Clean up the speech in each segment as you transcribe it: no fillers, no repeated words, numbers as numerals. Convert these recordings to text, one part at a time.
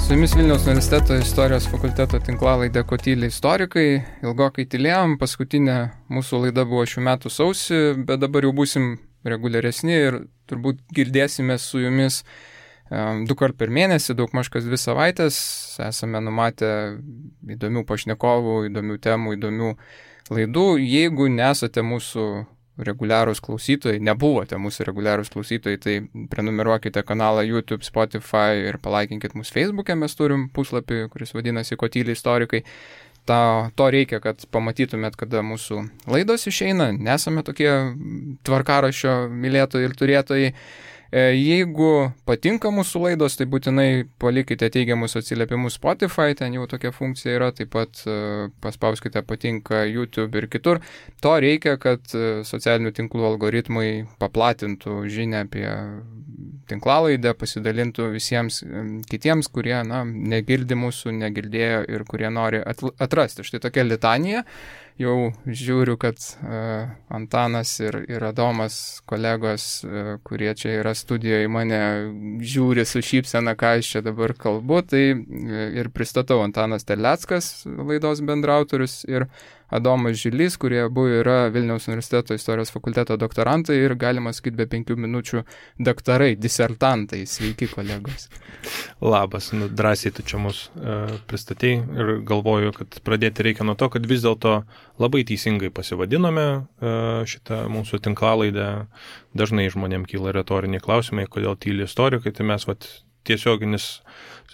Su jumis Vilniaus universiteto istorijos fakulteto tinklalaidė Kotyliai istorikai. Ilgokai tylėjom, paskutinė mūsų laida buvo šių metų sausį, bet dabar jau būsim reguliaresni ir turbūt girdėsime su jumis 2 kart per mėnesį, daugmaž kas 2 savaitės. Esame numatę įdomių pašnekovų, įdomių temų, įdomių laidų. Jeigu nesate mūsų reguliarūs klausytojai, nebuvote mūsų reguliarūs klausytojai, tai prenumeruokite kanalą YouTube, Spotify ir palaikinkit mūsų Facebook'e. Mes turim puslapį, kuris vadinasi Kotyliai istorikai. To reikia, kad pamatytumėt, kada mūsų laidos išeina. Nesame tokie tvarkaraščio mylėtojai ir turėtojai. Jeigu patinka mūsų laidos, tai būtinai palikite teigiamus atsiliepimus Spotify, ten jau tokia funkcija yra, taip pat paspauskite patinka YouTube ir kitur. To reikia, kad socialinių tinklų algoritmai paplatintų žinią apie tinklalaidę, pasidalintų visiems kitiems, kurie negirdi mūsų, negirdėjo ir kurie nori atrasti. Štai tokia litanija. Jau žiūriu, kad Antanas ir Adomas, kolegos, kurie čia yra studijoje, mane žiūri su šypsena, ką aš čia dabar kalbu. Tai ir pristatau Antanas Terleckas, laidos bendrautorius, ir Adomas Žilys, kurie abu yra Vilniaus universiteto istorijos fakulteto doktorantai ir galima sakyti be 5 minučių daktarai, disertantai. Sveiki, kolegos. Labas, drąsiai tu čia mus pristatei ir galvoju, kad pradėti reikia nuo to, kad vis dėlto labai teisingai pasivadinome šitą mūsų tinklalaidę. Dažnai žmonėm kyla retoriniai klausimai, kodėl tyli istorikai, tai mes tiesioginis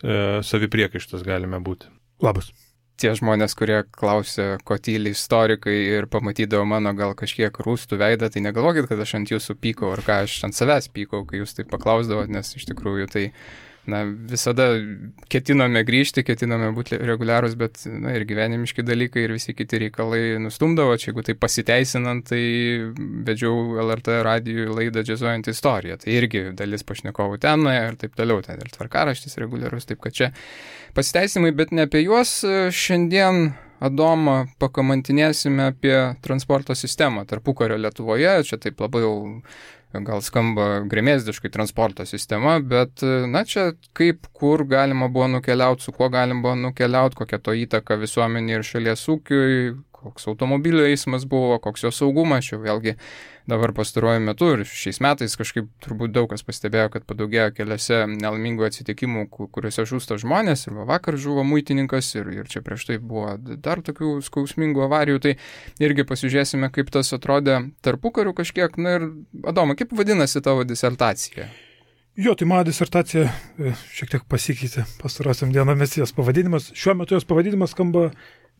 savipriekaištas galime būti. Labas. Tie žmonės, kurie klausia, ko tyli istorikai ir pamatydavo mano gal kažkiek rūstų veidą, tai negalvokit, kad aš ant jūsų pykau ar ką aš ant savęs pykau, kai jūs taip paklausdavot, nes iš tikrųjų tai visada ketinome grįžti, ketinome būti reguliarūs, bet ir gyvenimiški dalykai ir visi kiti reikalai nustumdavo. Čia jeigu tai pasiteisinant, tai vedžiau LRT radijui laidą Džiazuojant istoriją. Tai irgi dalis pašnekovų ten ir taip toliau, ten ir tvarkaraštis reguliarus, taip kad čia pasiteisimai, bet ne apie juos. Šiandien Adomą pakamantinėsime apie transporto sistemą tarpukario Lietuvoje. Čia taip labai jau gal skamba gremėzdiškai transporto sistema, bet čia kaip, kur galima buvo nukeliauti, su kuo galima buvo nukeliauti, kokia to įtaka visuomenė ir šalies ūkiui, koks automobilio eismas buvo, koks jo saugumas. Čia vėlgi dabar pastaruoju metu ir šiais metais kažkaip turbūt daug kas pastebėjo, kad padaugėjo keliose nelaimingų atsitikimų, kuriuose žūsta žmonės. Ir vakar žuvo muitininkas ir čia prieš tai buvo dar tokių skausmingų avarijų. Tai irgi pasižiūrėsime, kaip tas atrodė tarpukariu kažkiek. Ir Adoma, kaip vadinasi tavo disertacija? Jo, tai mano disertacija šiek tiek pasikeitė pastarosiam dienomis jos pavadinimas. Šiuo metu jos pavadinimas skamba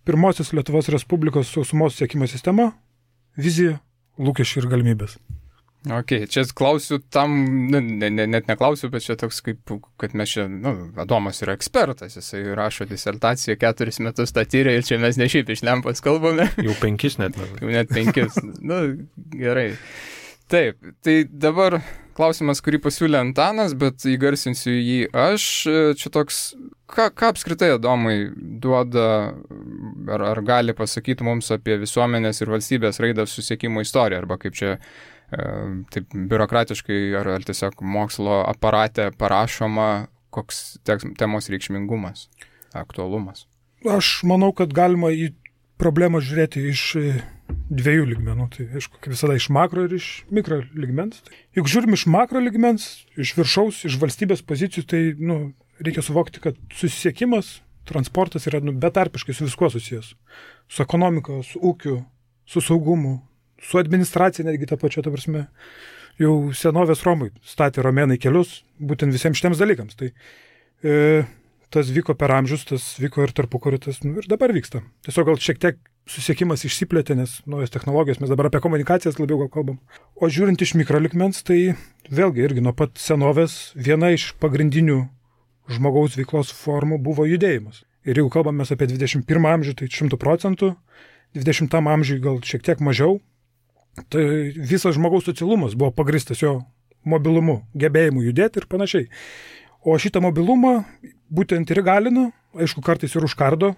Pirmosios Lietuvos Respublikos sausumos siekimo sistema, vizija, lūkesčiai ir galimybės. Ok, čia klausiu tam, net neklausiu, bet čia toks kaip, kad mes čia, Adomas yra ekspertas, jisai rašo disertaciją, 4 metus tą tyrė ir čia mes ne šiaip iš lempos kalbame. Jau 5 net. Jau net 5. Gerai. Taip, tai dabar klausimas, kurį pasiūlė Antanas, bet įgarsinsiu jį aš. Čia toks, ką apskritai Adomai duoda, ar gali pasakyti mums apie visuomenės ir valstybės raidą susisiekimo istoriją, arba kaip čia taip biurokratiškai, ar tiesiog mokslo aparate parašoma, koks temos reikšmingumas, aktualumas? Aš manau, kad galima į problemą žiūrėti iš 2 lygmenų. Tai aišku, kaip visada iš makro ir iš mikro lygmens. Juk žiūrim iš makro lygmens, iš viršaus, iš valstybės pozicijų, tai reikia suvokti, kad susisiekimas, transportas yra betarpiškai su viskuo susijęs. Su ekonomika, su ūkiu, su saugumu, su administracija netgi tą pačią, ta prasme. Jau senovės Romai statė romėnai kelius būtent visiems šitiems dalykams. Tai tas vyko per amžius, tas vyko ir tarpukariu, tas ir dabar vyksta. Tiesiog gal šiek tiek susiekimas išsiplėtė, nes naujos technologijos, mes dabar apie komunikacijas labiau gal kalbam. O žiūrint iš mikrolikmens, tai vėlgi irgi nuo pat senovės viena iš pagrindinių žmogaus veiklos formų buvo judėjimas. Ir jeigu kalbam mes apie 21 amžių, tai 100%, 20 amžiui gal šiek tiek mažiau, tai visas žmogaus socialumas buvo pagristas jo mobilumu, gebėjimu judėti ir panašiai. O šitą mobilumą būtent ir įgalina, aišku, kartais ir užkardo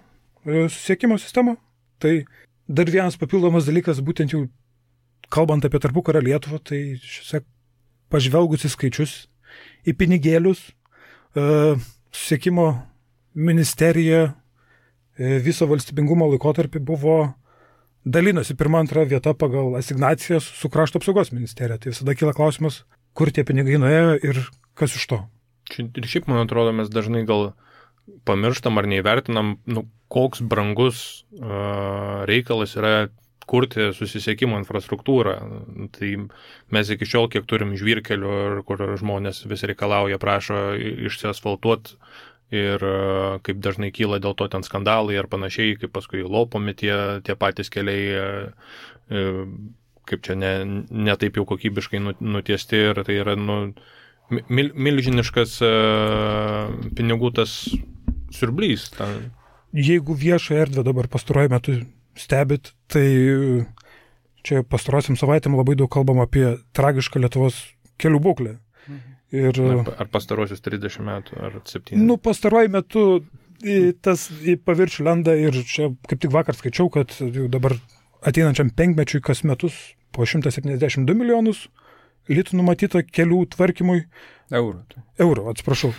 susisiekimo sistemą. Tai dar vienas papildomas dalykas, būtent jau kalbant apie tarpukario Lietuvą, tai pažvelgus į skaičius, į pinigėlius, susisiekimo ministerija viso valstybingumo laikotarpį buvo dalinosi 1-2 vieta pagal asignacijas su krašto apsaugos ministerija. Tai visada kyla klausimas, kur tie pinigai nuėjo ir kas iš to. Ir šiaip, man atrodo, mes dažnai gal pamirštam ar neįvertinam, koks brangus reikalas yra kurti susisiekimo infrastruktūrą. Tai mes iki šiol, kiek turim žvyrkelių, kur žmonės vis reikalauja, prašo išsiasfaltuoti ir kaip dažnai kyla dėl to ten skandalai ar panašiai, kaip paskui lopomi tie patys keliai, kaip čia ne taip jau kokybiškai nutiesti ir tai yra milžiniškas pinigų tas siurblys. Jeigu viešą erdvę dabar pastaruoju metu stebit, tai čia pastarosiam savaitėm labai daug kalbam apie tragišką Lietuvos kelių būklę. Ir, ar pastarosius 30 metų, ar 7? Pastaruoju metu tas į paviršių lenda ir čia kaip tik vakar skaičiau, kad dabar ateinančiam 5 mečiui kas metus po 172 milijonus litų numatyta kelių tvarkymui. Eurų, atsiprašau.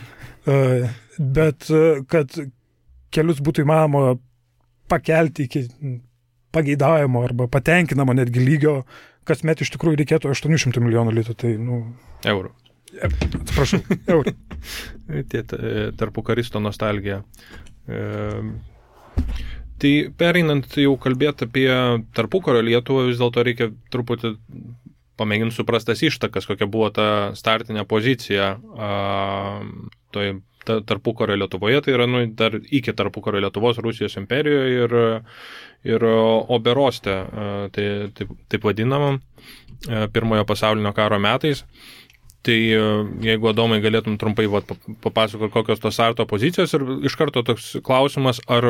Bet kad kelius būtų įmanoma pakelti iki pageidaujamo arba patenkinamo netgi lygio, kasmet iš tikrųjų reikėtų 800 milijonų litų. Tai, eurų. Atsiprašau, eurų. Tarpukaristo nostalgija. Tai pereinant jau kalbėti apie tarpukario Lietuvą, vis dėlto reikia truputį pamėginti suprastas ištakas, kokia buvo ta startinė pozicija tarpukario Lietuvoje, tai yra dar iki tarpukario Lietuvos Rusijos imperijoje ir Oberoste, taip vadinamam, Pirmojo pasaulinio karo metais. Tai jeigu, Adomai, galėtum trumpai papasakoti, kokios tos starto pozicijos ir iš karto toks klausimas, ar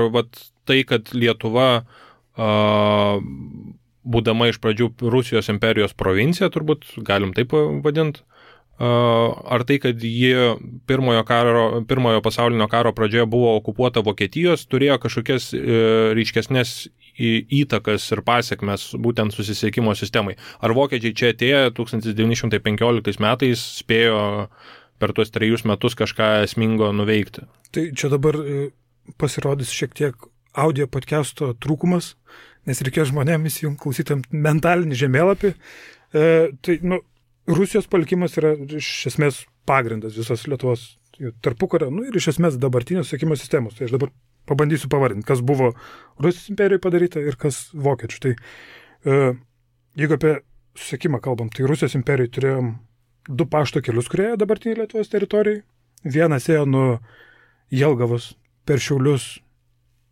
tai, kad Lietuva, būdama iš pradžių Rusijos imperijos provincija, turbūt galim taip vadinti, ar tai, kad ji Pirmojo pasaulinio karo pradžioje buvo okupuota Vokietijos, turėjo kažkokias ryškesnės įtakas ir pasiekmes būtent susisiekimo sistemai. Ar vokiečiai čia atėję 1915 metais spėjo per tuos 3 metus kažką esmingo nuveikti? Tai čia dabar pasirodys šiek tiek audio podcast'o trūkumas, nes reikėjo žmonėms klausytam mentalinį žemėlapį. Tai, Rusijos palikimas yra iš esmės pagrindas visos Lietuvos tarpukario, ir iš esmės dabartinės susisiekimo sistemos. Tai aš dabar pabandysiu pavardinti, kas buvo Rusijos imperijoje padaryta ir kas vokiečių. Tai jeigu apie susisiekimą kalbam, tai Rusijos imperijoje turėjom 2 pašto kelius, kurie dabartinėje Lietuvos teritorijai. Vienas ėjo nuo Jelgavos per Šiaulius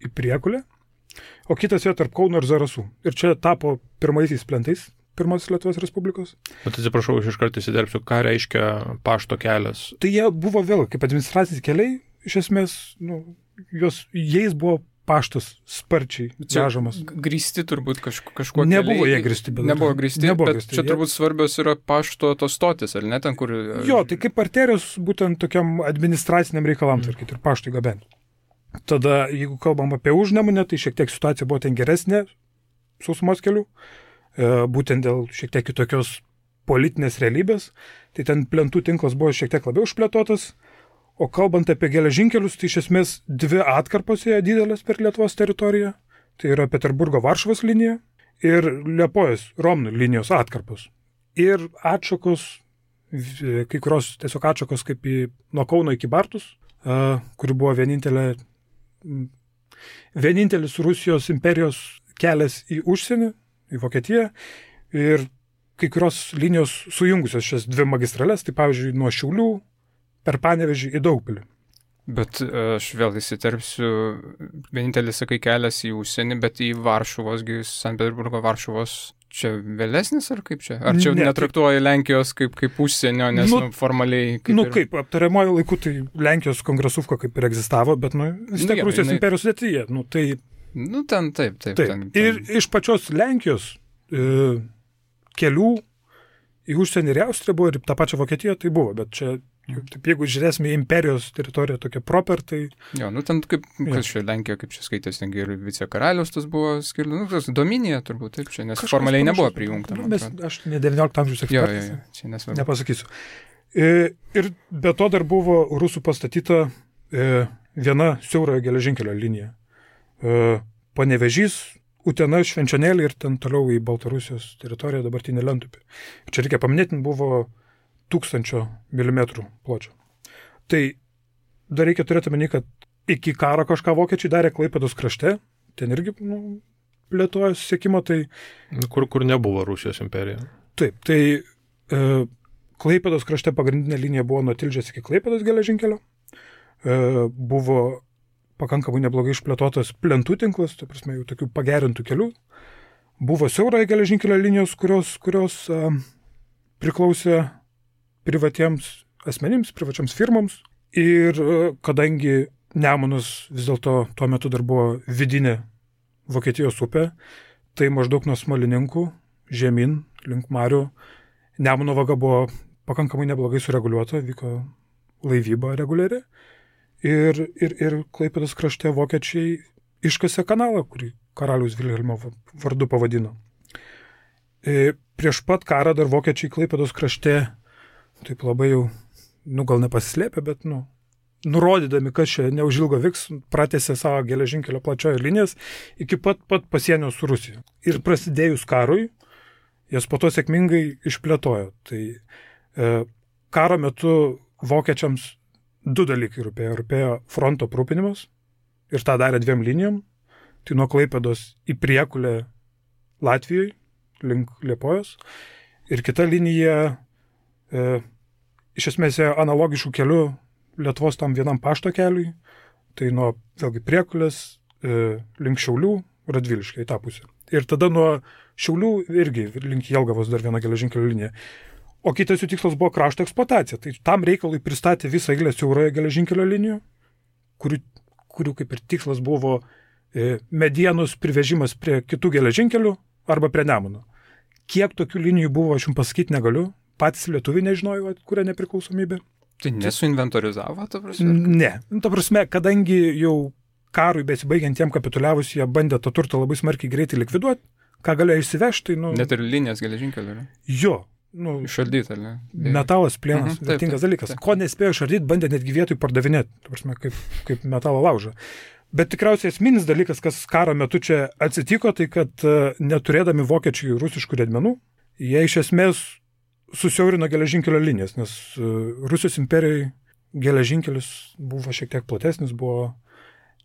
į Priekulę, o kitas ėjo tarp Kauno ir Zarasų. Ir čia tapo pirmaisiais plentais Pirmosios Lietuvos Respublikos. Bet atsiprašau, aš iš karto įsiderpsiu, ką reiškia pašto kelias? Tai jie buvo vėl kaip administraciniai keliai, iš esmės, jais buvo paštas sparčiai vežamas. Grįsti turbūt kažkuo nebuvo jie grįsti, bet nebuvo grįsti, bet čia turbūt svarbios yra pašto tos stotis, ar ne, ten kur... Jo, tai kaip arterijos būtent tokiam administraciniam reikalam tvarkyti ir paštui gabenti. Tada, jeigu kalbam apie Užnemunę, tai šiek tiek situacija buvo ten geresnė sausumos kelių, būtent dėl šiek tiek kitokios politinės realybės, tai ten plentų tinklas buvo šiek tiek labiau išplėtotas, o kalbant apie geležinkelius, tai iš esmės 2 atkarpos ėjo didelės per Lietuvos teritoriją, tai yra Peterburgo-Varšuvos linija ir Liepojos Romnų linijos atkarpos. Ir atšakos, kai kurios tiesiog atšakos kaip nuo Kauno iki Bartus, kuri buvo vienintelis Rusijos imperijos kelias į užsienį, į Vokietiją, ir kai kurios linijos sujungusios šias 2 magistrales, tai pavyzdžiui nuo Šiaulių per Panevėžį į Daugpilį. Bet aš vėl įsiterpsiu, vienintelis, sakai, kelias į užsienį, bet į Varšuvosgi, Sankt Peterburgo Varšuvos čia vėlesnis, ar kaip čia? Ar čia netraktuoja Lenkijos kaip užsienio, nes formaliai... Kaip aptariamojo laiku, tai Lenkijos kongresuvka kaip ir egzistavo, bet vis tiek Rusijos imperijos sudėtyje. Tai... ten taip. Ten. Ir iš pačios Lenkijos kelių į užsienį ir Austriją buvo, ir tą pačią Vokietiją tai buvo, bet čia, jeigu žiūrėsime į imperijos teritoriją tokia proper, tai... Jo, ten kaip, kas čia Lenkija, kaip čia skaitės, ir vicekaralius tas buvo skirtas, Dominija turbūt, taip čia, nes kažkas formaliai nebuvo prijungta. Aš ne 19 amžiaus ekspertas, čia nesvarbu. Nepasakysiu. Ir be to dar buvo rusų pastatyta viena siaura geležinkelio linija. Panevėžys, Utena, Švenčionėlė ir ten toliau į Baltarusijos teritoriją dabartinį Lentupį. Čia reikia paminėti, buvo 1000 mm pločio. Tai dar reikia turėti omeny, kad iki karo kažką vokiečiai darė Klaipėdos krašte, ten irgi plėtojo siekimo, tai... Kur nebuvo Rusijos imperija. Taip, tai Klaipėdos krašte pagrindinė linija buvo nuo Tilžės iki Klaipėdos geležinkelio. Buvo pakankamai neblogai išplėtotas plentų tinklas, tai prasme jau tokių pagerintų kelių. Buvo siauroje geležinkelio linijos, kurios priklausė privatiems asmenims, privačiams firmoms. Ir kadangi Nemunas vis dėlto tuo metu dar buvo vidinė Vokietijos upė, tai maždaug nuo Smalininkų žemyn link Marių Nemuno vaga buvo pakankamai neblogai sureguliuota, vyko laivyba reguliari. Ir Klaipėdos krašte vokiečiai iškasė kanalą, kurį karaliaus Vilhelmo vardu pavadino. Prieš pat karą dar vokiečiai Klaipėdos krašte, taip labai jau, gal nepasislėpė, bet, nurodydami, kas čia neužilgo vyks, pratęsė savo geležinkelio plačiojo linijas iki pat pasienio su Rusija. Ir prasidėjus karui, jas po to sėkmingai išplėtojo. Tai karo metu vokiečiams 2 dalykai rūpėjo. Rūpėjo fronto aprūpinimas ir tą darė 2 linijom. Tai nuo Klaipėdos į Priekulę Latvijoje, link Liepojos. Ir kita linija iš esmės analogiškų kelių Lietuvos tam vienam pašto keliui. Tai nuo vėlgi Priekulės link Šiaulių, Radviliškai į tą pusę. Ir tada nuo Šiaulių irgi link Jelgavos dar viena geležinkelio linija. O kitas jų tikslas buvo krašto eksploatacija. Tai tam reikalui pristatė visą eilę siauroje geležinkelio linijų, kurių kaip ir tikslas buvo medienos privežimas prie kitų geležinkelių arba prie Nemuno. Kiek tokių linijų buvo, aš jums pasakyti negaliu. Patys lietuviai nežinojo, kuria nepriklausomybė. Tai nesuinventorizavo, ta prasme? Ne. Ta prasme, kadangi jau karui besibaigiant jiem kapituliavus, jie bandė tą turtą labai smarkiai greitai likviduoti, ką galėjo išsivežti. Net ir linijas geležinkelio, ne? Jo. Išardyti, ar ne? Metalas, plienas, vertingas dalykas. Ko nespėjo išardyti, bandė netgi vietoj pardavinėti, kaip metalo laužą. Bet tikriausiai esminis dalykas, kas karo metu čia atsitiko, tai kad neturėdami vokiečių rusiškų riedmenų, jie iš esmės susiaurino geležinkelio linijas, nes Rusijos imperijai geležinkelis buvo šiek tiek platesnis, buvo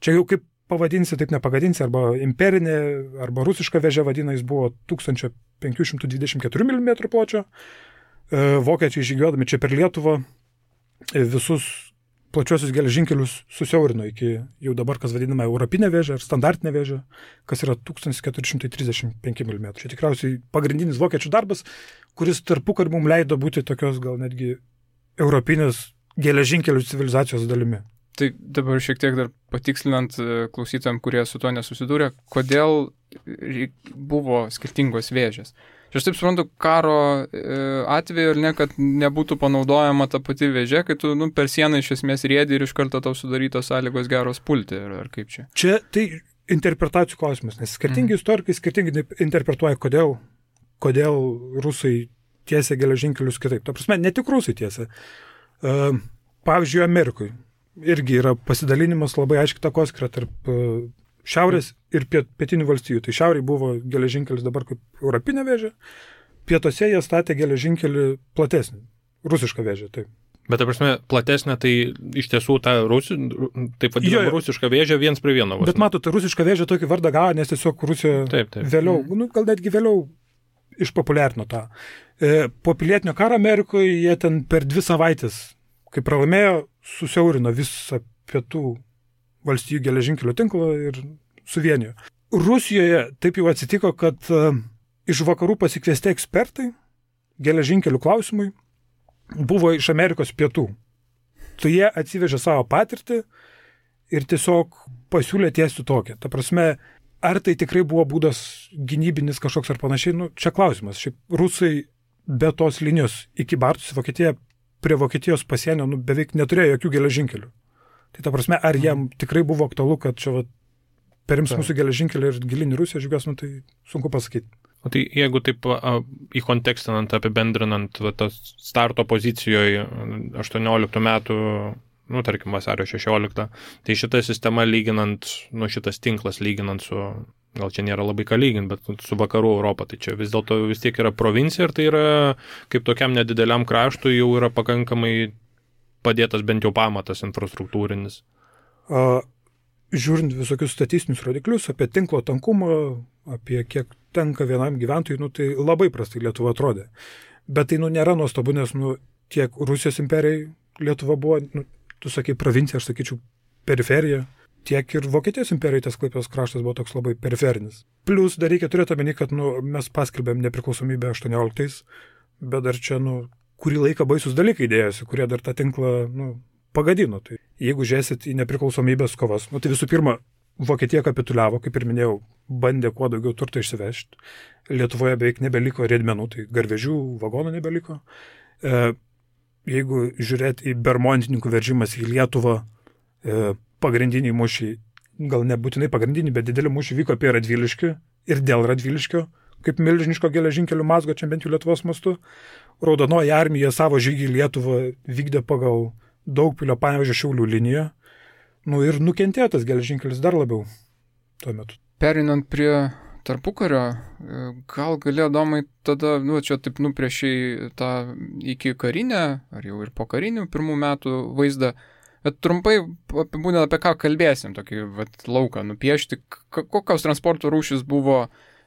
čia jau kaip pavadinsi, taip nepagadinsi, arba imperinė, arba rusiška vėžė vadina, jis buvo 1524 mm pločio. Vokiečiai žygiuodami čia per Lietuvą visus plačiosius geležinkelius susiaurino iki jau dabar, kas vadinama europinė vėžė ar standartinė vėžė, kas yra 1435 mm. Čia tikriausiai pagrindinis vokiečių darbas, kuris tarpukariu mums leido būti tokios gal netgi europinės geležinkelių civilizacijos dalimi. Tai dabar šiek tiek dar patikslinant klausytojams, kurie su to nesusidūrė, kodėl buvo skirtingos vėžės. Aš taip suprantu, karo atveju ir ne, kad nebūtų panaudojama ta pati vėžė, kai tu per sieną iš esmės riedi ir iš karto tau sudarytos sąlygos geros pulti, ar kaip čia? Čia tai interpretacijų klausimas, nes skirtingi istorikai skirtingai interpretuoja, kodėl rusai tiesia geležinkelius kitaip. Ta prasme, ne tik rusai tiesia. Pavyzdžiui, Amerikoje irgi yra pasidalinimas labai aiškiai takoskira tarp šiaurės ir pietinių valstijų. Tai šiauriai buvo geležinkelis dabar kaip europinė vėžė, pietuose jie statė geležinkelį platesnį, rusišką vėžę, taip. Bet, ta prasme, platesnė, tai iš tiesų ta taip vadinama rusiška vėžė 1:1. Bet matot, ta rusiška vėžė tokį vardą gavo, nes tiesiog Rusija vėliau, gal netgi vėliau išpopuliarino tą. Po pilietinio karo Amerikoje jie ten per 2 savaitės, kai pralaimėjo, susiaurino visą pietų valstijų geležinkelio tinklą ir suvienijo. Rusijoje taip jau atsitiko, kad iš vakarų pasikviesti ekspertai geležinkelių klausimui buvo iš Amerikos pietų. Tai jie atsivežė savo patirtį ir tiesiog pasiūlė tiesti tokią. Ta prasme, ar tai tikrai buvo būdas gynybinis kažkoks ar panašiai, čia klausimas. Šiaip rusai be tos linijos iki Bartus į Vokietiją prie Vokietijos pasienio beveik neturėjo jokių geležinkelių. Tai ta prasme, ar jam tikrai buvo aktualu, kad čia perims mūsų geležinkelį ir gilinį Rusiją žygios, tai sunku pasakyti. O tai jeigu taip įkontekstinant, apibendrinant tas starto pozicijoje 18 metų tarkim, vasario 16. Tai šita sistema lyginant, šitas tinklas lyginant su, gal čia nėra labai ką lyginti, bet su vakarų Europą, tai čia vis dėlto vis tiek yra provincija ir tai yra kaip tokiam nedideliam kraštui jau yra pakankamai padėtas bent jau pamatas infrastruktūrinis. Žiūrint visokius statistinius rodiklius apie tinklo tankumą, apie kiek tenka vienam gyventojui, tai labai prastai Lietuva atrodė. Bet tai nėra nuostabu, nes tiek Rusijos imperijai Lietuva buvo, tu sakai provincija, aš sakyčiau periferija, tiek ir Vokietijos imperijai tas Klaipėdos kraštas buvo toks labai periferinis. Plus dar reikia turėti omeny, kad mes paskelbėm nepriklausomybę 18, bet dar čia kurį laiką baisus dalykai dėjosi, kurie dar tą tinklą pagadino. Tai jeigu žiūrėsit į nepriklausomybės kovas, tai visų pirma, Vokietija kapituliavo, kaip ir minėjau, bandė kuo daugiau turto išsivežti. Lietuvoje beveik nebeliko riedmenų, tai garvežių, vagonų nebeliko. Jeigu žiūrėt į bermontininkų veržimas į Lietuvą, pagrindiniai mūšiai, gal nebūtinai pagrindiniai, bet dideli mūšiai vyko apie Radviliškį ir dėl Radviliškio, kaip milžiniško geležinkelių mazgo, čia bent jau Lietuvos mastu. Raudonoji armija savo žygį į Lietuvą vykdė pagal Daugpilio Panevėžio Šiaulių liniją. Ir nukentėjo tas geležinkelis dar labiau tuo metu. Perinant prie tarpukario, gal galėjo Domai tada, čia taip nupriešiai tą iki karinę, ar jau ir po karinių pirmų metų vaizdą, bet trumpai apibūdinant, apie ką kalbėsim, tokį lauką nupiešti, kokios transporto rūšis buvo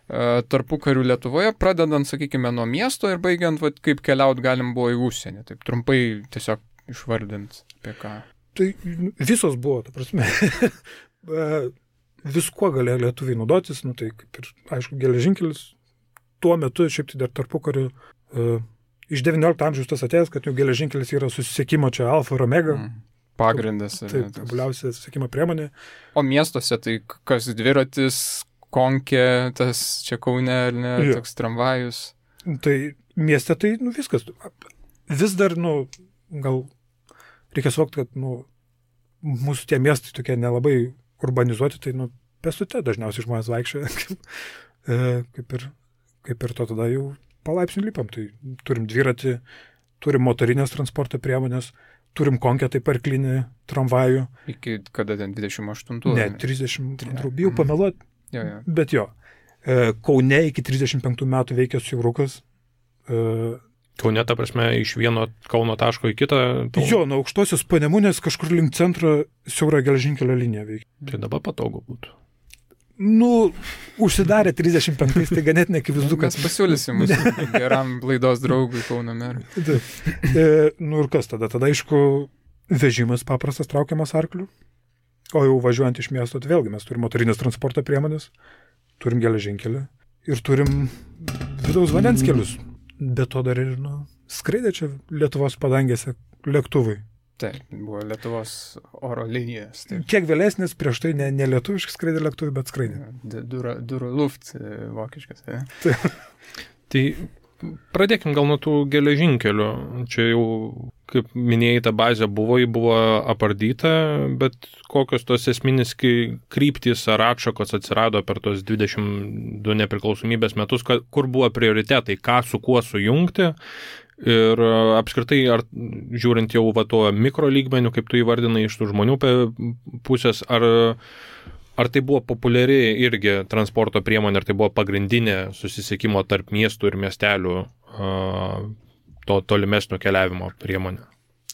tarpukarių Lietuvoje, pradedant, sakykime, nuo miesto ir baigiant, kaip keliaut galim buvo į užsienį. Taip trumpai tiesiog išvardint apie ką. Tai visos buvo, ta prasme. Viskuo galėjo lietuviai naudotis, tai kaip ir, aišku, geležinkelis. Tuo metu, šiaip tai dar tarpukariu, iš 19 amžiaus tas atėjęs, kad jau geležinkelis yra susisiekimo čia alfa ir omega. Pagrindas. Tai tobuliausia susisiekimo priemonė. O miestuose tai kas dviratis, konkė, tas čia Kaune, ar ne, toks tramvajus. Tai mieste tai, viskas. Vis dar, gal reikia suvokti, kad mūsų tie miestai tokie nelabai urbanizuoti, tai pėstute dažniausiai žmonės vaikščioja, kaip ir to tada jau palaipsniui lipam. Tai turim dviratį, turim motorinės transporto priemonės, turim konkę, taip arklinį tramvajų. Iki kada ten 28? Ne, 32, bijau pameluoti, bet jo. Kaune iki 35 metų veikė siaurukas. Kaune, ta prasme, iš vieno Kauno taško į kitą? Jo, nuo Aukštosios Panemunės kažkur link centro siaura geležinkelio linija veikia. Tai dabar patogu būtų. Užsidarė 35, tai ganėtinai akivaizdu, kad... Mes pasiūlysim mūsų geram laidos draugui Kauno merui. Ir kas tada? Tada, aišku, vežimas paprastas traukiamas arklių, o jau važiuojant iš miesto, tai vėlgi mes turim motorinės transporto priemonės, turim geležinkelį ir turim vidaus vandens kelius. Be to dar ir skraidė čia Lietuvos padangėse lėktuvai. Taip, buvo Lietuvos oro linijas. Taip. Kiek vėlesnis, prieš tai ne lietuviškai skraidė lėktuvai, bet skraidė. Durų luft vokiškas. Tai pradėkim gal nuo tų geležinkelių. Čia jau, kaip minėjai, ta bazė buvo apardyta, bet kokios tos esminis kryptys ar atšakos atsirado per tos 22 nepriklausomybės metus, kur buvo prioritetai, ką su kuo sujungti. Ir apskritai, ar žiūrint jau tuo mikro lygmeniu, kaip tu įvardinai iš tų žmonių pusės, ar tai buvo populiari irgi transporto priemonė, ar tai buvo pagrindinė susisiekimo tarp miestų ir miestelių to tolimesnio keliavimo priemonė?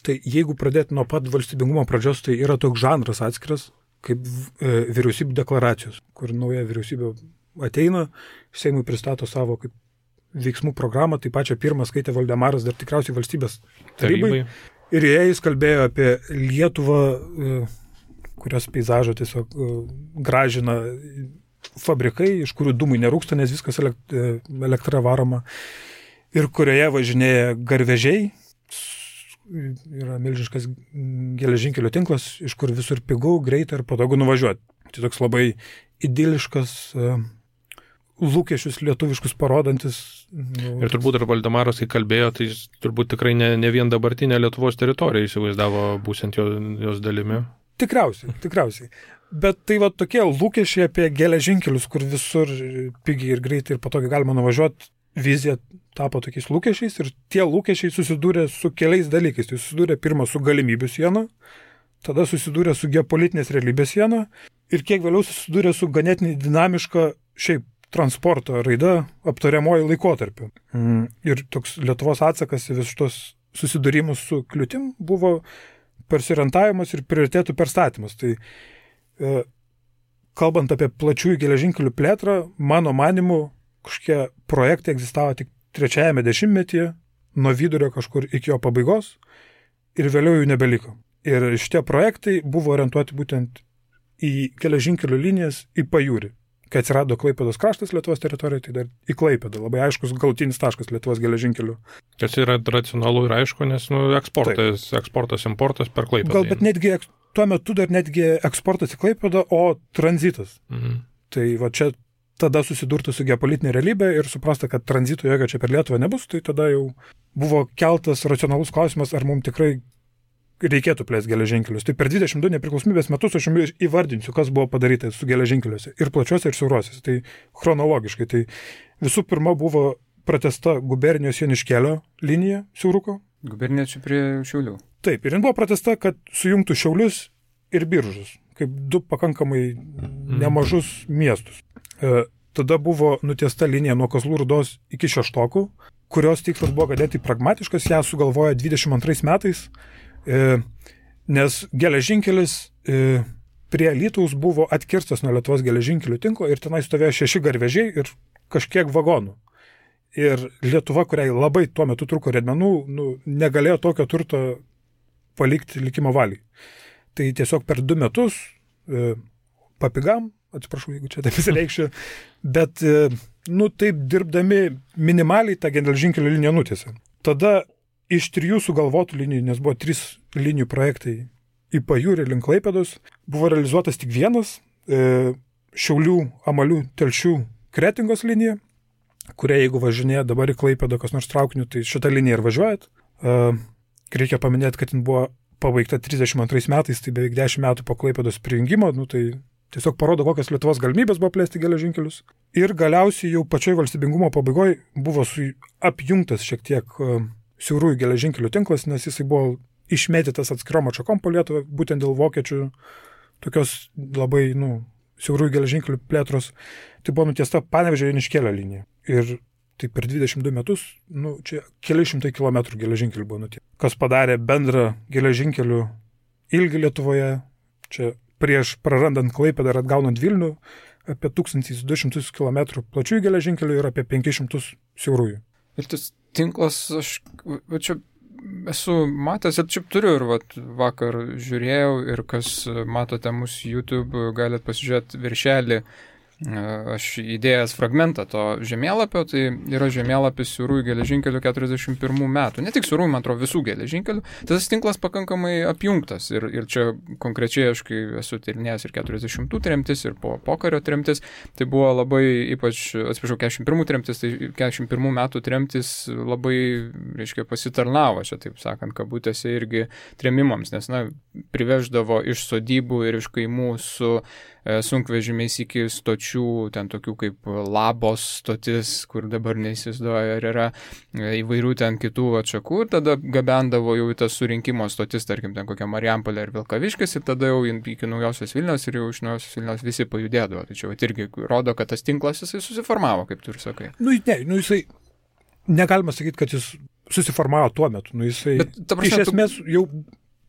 Tai jeigu pradėti nuo pat valstybingumo pradžios, tai yra toks žanras atskiras, kaip vyriausybių deklaracijos, kur nauja vyriausybė ateina, Seimui pristato savo kaip veiksmų programą, tai pačią pirmą skaitė Valdemaras, dar tikriausiai valstybės tarybai. Ir jis kalbėjo apie Lietuvą, kurios peizažą tiesiog gražina fabrikai, iš kurių dūmai nerūksta, nes viskas elektra varoma, ir kurioje važinėja garvežiai, yra milžiniškas geležinkelio tinklas, iš kur visur pigu, greitai ir patogu nuvažiuoti. Tai toks labai idiliškas lūkesčius lietuviškus parodantis. Ir turbūt ir Valdemaras, kai kalbėjo, tai turbūt tikrai ne vien dabartinė Lietuvos teritorija įsivaizdavo būsint jos dalimi. Tikriausiai. Bet tai tokie lūkesčiai apie geležinkelius, kur visur pigiai ir greitai ir patogiai galima nuvažiuoti, vizija tapo tokiais lūkesčiais ir tie lūkesčiai susidūrė su keliais dalykais. Tai susidūrė pirmą su galimybių siena, tada susidūrė su geopolitinės realybės siena ir kiek vėliau susidūrė su ganėtinai dinamiška šiaip transporto raida aptariamoji laikotarpiu. Ir toks Lietuvos atsakas į visus tos susidūrimus su kliūtim buvo persiorientavimas ir prioritėtų perstatymas. Tai kalbant apie plačiųjų geležinkelių plėtrą, mano manimu, kažkokie projektai egzistavo tik 3-ame dešimtmetyje, nuo vidurio kažkur iki jo pabaigos ir vėliau jų nebeliko. Ir šitie projektai buvo orientuoti būtent į geležinkelių linijas į pajūrį. Kai atsirado Klaipėdos kraštas Lietuvos teritorijoje, tai dar į Klaipėdą. Labai aiškus galutinis taškas Lietuvos geležinkelių. Tas yra racionalu ir aišku, nes eksportas, importas per Klaipėdą. Gal, bet netgi tuo metu dar netgi eksportas į Klaipėdą, o tranzitas. Tai va čia tada susidurta su geopolitinė realybė ir suprasta, kad tranzito jokio čia per Lietuvą nebus, tai tada jau buvo keltas racionalus klausimas, ar mums tikrai reikėtų plėsti geležinkelius. Tai per 22 nepriklausomybės metus aš jums įvardinsiu, kas buvo padaryta su geležinkeliuose. Ir plačiuose, ir siauruosiuose. Tai chronologiškai. Tai visų pirma buvo pratęsta gubernijos Joniškėlio linija siauruko. Gubernija čia prie Šiaulių. Taip, ir jin buvo pratęsta, kad sujungtų Šiaulius ir Biržus, kaip du pakankamai nemažus miestus. Tada buvo nutiesta linija nuo Kazlų Rūdos iki Šeštokų, kurios tikslas buvo ganėtinai pragmatiškas, ją sugalvojo 22 metais, nes geležinkelis prie Alytaus buvo atkirstas nuo Lietuvos geležinkelių tinklo ir tenai stovėjo 6 garvežiai ir kažkiek vagonų. Ir Lietuva, kuriai labai tuo metu trūko riedmenų, negalėjo tokio turto palikti likimo valiai. Tai tiesiog per 2 metus papigam, atsiprašau, jeigu čia taip įsireikščiau, bet taip dirbdami minimaliai tą geležinkelio liniją nutiesė. Tada iš 3 sugalvotų linijų, nes buvo 3 linijų projektai į pajūrį link Klaipėdos, buvo realizuotas tik vienas Šiaulių, Amalių, Telšių, Kretingos linija, kuria jeigu važinėja dabar į Klaipėdą kas nors traukiniu, tai šitą liniją ir važiuojat. Reikia paminėti, kad jin buvo pabaigta 32 metais, tai beveik 10 metų po Klaipėdos prijungimo, tai tiesiog parodo, kokios Lietuvos galimybės buvo plėsti geležinkelius. Ir galiausiai jau pačioj valstybingumo pabaigoje buvo apjungtas šiek tiek siaurųjų geležinkelių tinklas, nes jisai buvo išmėtytas atskirom atšakom po Lietuvą, būtent dėl vokiečių tokios labai, siaurųjų geležinkelių plėtros. Tai buvo nutiesta Panevėžio Joniškėlio linija. Ir tai per 22 metus, čia keli šimtai kilometrų geležinkelių buvo nutiesta. Kas padarė bendrą geležinkelių ilgį Lietuvoje, čia prieš prarandant Klaipėdą ir atgaunant Vilnių, apie 1200 km plačiųjų geležinkelių ir apie 500 siaurųjų. Ir tas tinklas, aš čia esu matęs ir čia turiu ir vakar žiūrėjau ir kas matote mūsų YouTube, galite pasižiūrėti viršelį. Aš įdėjęs fragmentą to žemėlapio, tai yra žemėlapis siaurųjų geležinkelių 41 metų. Ne tik siaurųjų, man atrodo, visų geležinkelių. Tas tinklas pakankamai apjungtas. Ir čia konkrečiai aš, kai esu tyrinėjęs ir 40 tremtis, ir po pokario tremtis, tai buvo labai, ypač, 41 tremtis, tai 41 metų tremtis labai, pasitarnavo, čia taip sakant, kabutėse irgi tremimams, nes, priveždavo iš sodybų ir iš kaimų su sunkvežimiais iki stočių, ten tokių kaip Labos stotis, kur dabar neįsivaizduoju, ar yra įvairių ten kitų atšakų, ir tada gabendavo jau į tas surinkimo stotis, tarkim, ten kokia Marijampolė ir Vilkaviškis, ir tada jau iki Naujosios Vilnios, ir jau iš Naujosios Vilnios visi pajudėdavo. Tai čia irgi rodo, kad tas tinklas jisai susiformavo, kaip tu ir sakai. Jisai, negalima sakyti, kad jis susiformavo tuo metu. Jisai, bet, prasme, iš esmės jau...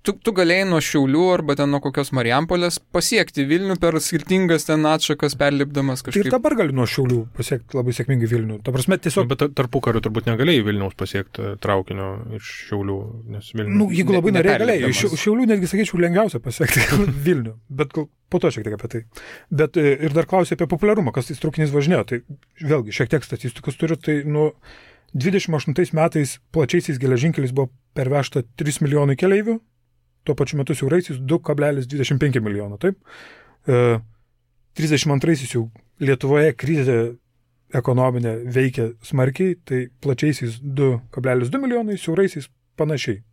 Tu galėjai nuo Šiaulių arba ten nuo kokios Marijampolės pasiekti Vilnių per skirtingas ten atšakas perlipdamas kažkaip. Ir dabar gali nuo Šiaulių pasiekti labai sėkmingai Vilnių. Ta prasme, tiesiog... Bet tarpukariu turbūt negalėjai Vilniaus pasiekti traukinio iš Šiaulių, nes Vilnių... Jeigu labai norėjai, galėjai. Iš Šiaulių netgi, sakyčiau, lengviausia pasiekti Vilnių. Bet po to šiek tiek apie tai. Bet ir dar klausė apie populiarumą, kas tais traukinys važinėjo. Tai vėlgi, šiek tiek statistikos turiu, tai 28 metais plačiaisiais geležinkeliais buvo pervežta 3 milijonai keleivių. Tuo pačiu metu siauraisiais 2,25 milijono, taip. 32-aisiais jau Lietuvoje krizė ekonominė veikia smarkiai, tai plačiaisiais 2,2 milijonai, siauraisiais panašiai.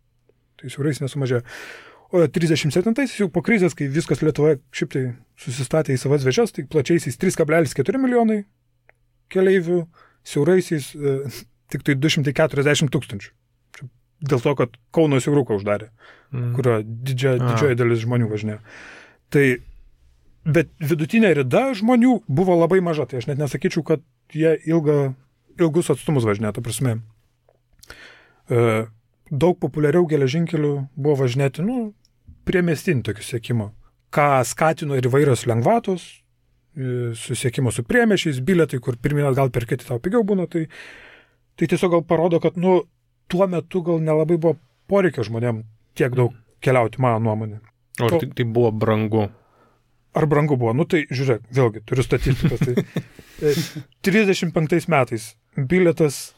Tai siauraisiais nesumažėjo. O 37-aisiais jau po krizės, kai viskas Lietuvoje šiaip tai susistatė į savas vėžes, tai plačiaisiais 3,4 milijonai keleivių, siauraisiais tik tai 240 tūkstančių. dėl to, kad Kauno Siauruką uždarė, kurio didžioji dalis žmonių važinėjo. Tai, bet vidutinė rida žmonių buvo labai maža, tai aš net nesakyčiau, kad jie ilgus atstumus važinėjo, ta prasme. Daug populiariau geležinkelių buvo važinėti, priemiestinį tokių siekimo, ką skatino ir įvairios lengvatos, susiekimo su priemiešiais, bilietai, kur pirminat gal perkėti tau pigiau būna, tai tiesiog gal parodo, kad, tuo metu gal nelabai buvo poreikio žmonėm tiek daug keliauti, mano nuomonė. O tai buvo brangu? Ar brangu buvo? Tai žiūrėk, vėlgi, turiu statistiką. Tai 35 metais bilietas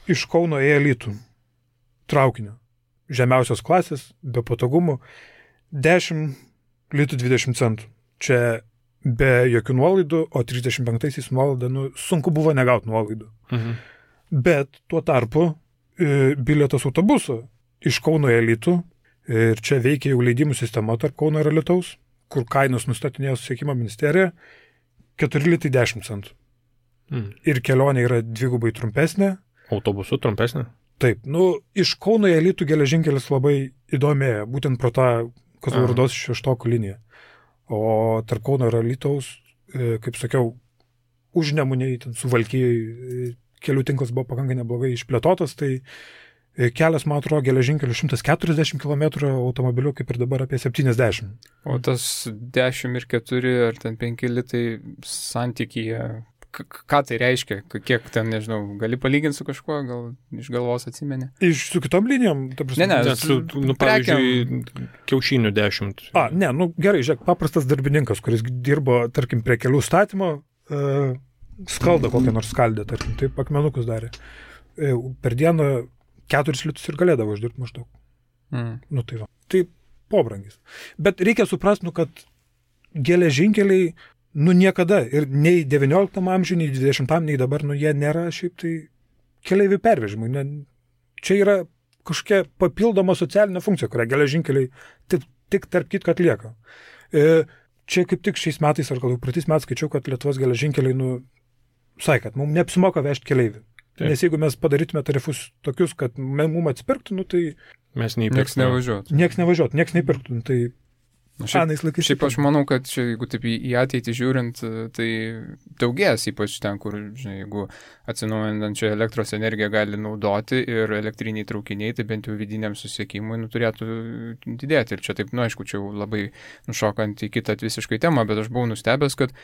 iš Kauno į Alytų traukinio, žemiausios klasės, be patogumų, 10 litų 20 centų. Čia be jokių nuolaidų, o 35-aisiais nuolaidą, sunku buvo negauti nuolaidų. Bet tuo tarpu bilietas autobuso iš Kauno į Alytų, ir čia veikia jau leidimų sistema tarp Kauno ir Alytaus, kur kainos nustatinėjo susisiekimo ministerija, 4 litai 10 centų. Ir kelionė yra dvigubai trumpesnė. Autobusu trumpesnė? Taip, iš Kauno į Alytų geležinkelis labai įdomėja, būtent pro tą Kazlų Rūdos 6 liniją. O tarp Kauno ir Alytaus, kaip sakiau, užnemunėj, Suvalkijai kelių tinklas buvo pakankamai neblogai išplėtotas, tai kelias, man atrodo, geležinkelių 140 km, automobiliu kaip ir dabar apie 70. O tas 10 ir 4 ar ten 5 litai santykyje, ką tai reiškia? Kiek ten, nežinau, gali palyginti su kažkuo, gal iš galvos atsimeni? Su kitom linijom, ta prasme. Pavyzdžiui, kiaušinių 10. Gerai, žiūrėk, paprastas darbininkas, kuris dirbo, tarkim, prie kelių statymo, skaldą kokią nors skaldę, tarkim, taip akmenukus darė. Per dieną 4 litus ir galėdavo uždirbti maždaug. Tai va. Tai pobrangis. Bet reikia suprasti, kad geležinkeliai niekada ir nei 19 amžiuje, nei 20, nei dabar, jie nėra šiaip tai keleivių pervežimui. Čia yra kažkokia papildoma socialinė funkcija, kurią geležinkeliai tik tarp kitką atlieka. Čia kaip tik šiais metais, ar gal jau praeitais metais skaičiau, kad Lietuvos geležinkeliai, sakė, kad mums neapsimoka vežti keleivių. Taip. Nes jeigu mes padarytume tarifus tokius, kad mums atsipirktų, tai mes nieks nevažiuotų. Nieks neįpirktų. Tai Šiaip aš manau, kad čia, jeigu taip į ateitį žiūrint, tai daugės, ypač ten, kur, jeigu atsinaujinančią elektros energiją gali naudoti ir elektriniai traukiniai, tai bent jau vidiniam susiekimui turėtų didėti. Ir čia taip, aišku, čia jau labai nušokant į kitą visiškai temą, bet aš buvau nustebęs, kad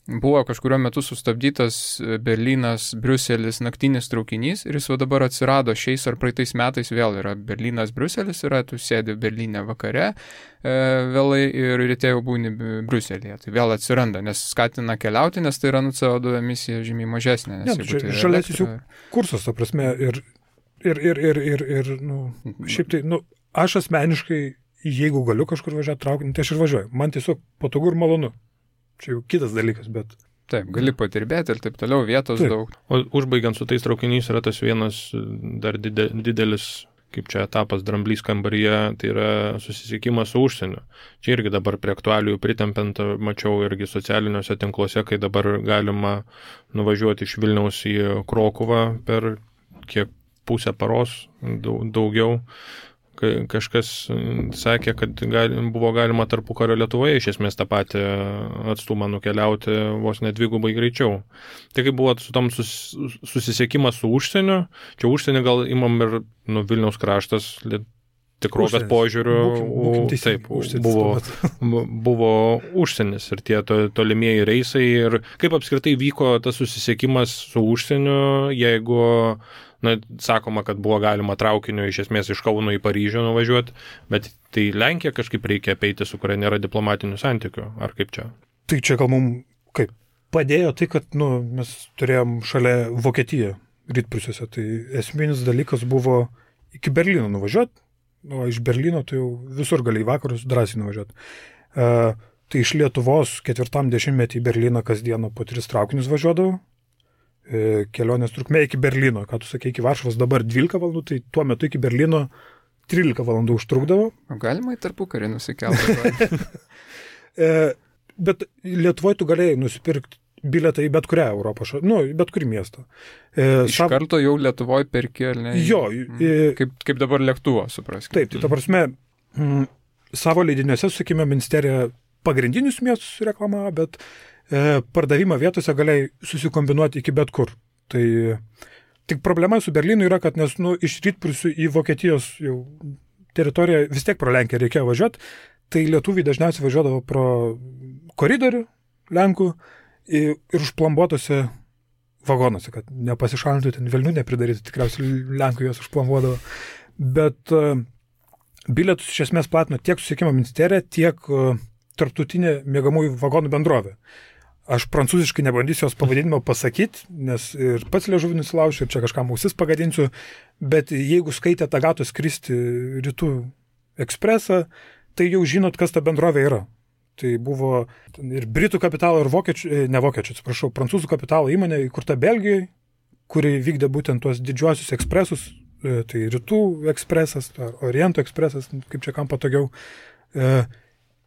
buvo kažkurio metu sustabdytas Berlynas-Briuselis naktinis traukinys ir jis dabar atsirado šiais ar praeitais metais vėl yra Berlynas-Briuselis, tu sėdi Berlyne vakare vėlai ir ryte jau būni Briuselėje. Tai vėl atsiranda, nes skatina keliauti, nes tai yra CO2 emisija žymiai mažesnė. Žaliasis jų kursas, ta prasme, ir šiaip tai, aš asmeniškai, jeigu galiu kažkur važiuoti traukinį, tai aš ir važiuoju. Man tiesiog patogu ir malonu. Čia jau kitas dalykas, bet... Taip, gali patirbėti ir taip toliau, vietos daug. O užbaigiant su tais traukiniais yra tas vienas dar didelis, kaip čia etapas dramblys kambaryje, tai yra susisiekimas su užsieniu. Čia irgi dabar prie aktualijų pritempiant, mačiau irgi socialiniuose tinkluose, kai dabar galima nuvažiuoti iš Vilniaus į Krokuvą per kiek pusę paros, daugiau. Kažkas sakė, kad buvo galima tarpukario Lietuvoje iš esmės tą patį atstumą nukeliauti vos net dvigubai greičiau. Tai kaip buvo su tom susisiekimas su užsieniu, čia užsienį gal imam ir Vilniaus kraštas tikrovės požiūriu, taip, buvo užsienis ir tie tolimieji reisai ir kaip apskritai vyko tas susisiekimas su užsieniu, jeigu sakoma, kad buvo galima traukiniu iš esmės iš Kauno į Paryžių nuvažiuoti, bet tai Lenkija kažkaip reikia apeiti, su kuria nėra diplomatinių santykių, ar kaip čia? Tai čia gal mums kaip padėjo tai, kad mes turėjom šalia Vokietiją rytprūsiuose, tai esminis dalykas buvo iki Berlyno nuvažiuoti, o iš Berlyno tai jau visur gali į vakarus drąsiai nuvažiuoti. Tai iš Lietuvos 40-metį į Berlyną kasdieną po 3 traukinius važiuodavo. Kelionės trukmė iki Berlyno, ką tu sakei, iki Varšuvos dabar 12 valandų, tai tuo metu iki Berlyno 13 valandų užtrukdavo. O galima į tarpukarį nusikelti. Bet Lietuvoje tu galėjai nusipirkti bilietą į bet kurią Europos bet kurį miestą. Iš karto jau Lietuvoje perki, ar ne? Jo. Kaip dabar lėktuvo, supraskime. Taip, tai ta prasme, savo leidiniuose, sakykime, ministerija pagrindinius miestus reklamavo, bet pardavimo vietose galėjai susikombinuoti iki bet kur. Tai tik problema su Berlynu yra, kad nes iš rytprūsių į Vokietijos jau teritoriją vis tiek pro Lenkiją reikėjo važiuoti, tai lietuviai dažniausiai važiuodavo pro koridorių Lenkų ir užplombuotose vagonuose, kad nepasišalintų ten velnių nepridarytų, tikriausiai Lenkų juos užplombuodavo. Bet bilietus iš esmės platino tiek susisiekimo ministerija, tiek tarptautinė miegamųjų vagonų bendrovė. Aš prancūziškai nebandysiu jos pavadinimo pasakyti, nes ir pats liežuvį nusilaušiu, ir čia kažkam ausis pagadinsiu, bet jeigu skaitėte Agatos Kristi Rytų ekspresą, tai jau žinot, kas ta bendrovė yra. Tai buvo ir Britų kapitalo, ir prancūzų kapitalo įmonė įkurta Belgijoje, kuri vykdė būtent tuos didžiuosius ekspresus, tai Rytų ekspresas, ar Oriento ekspresas, kaip čia kam patogiau.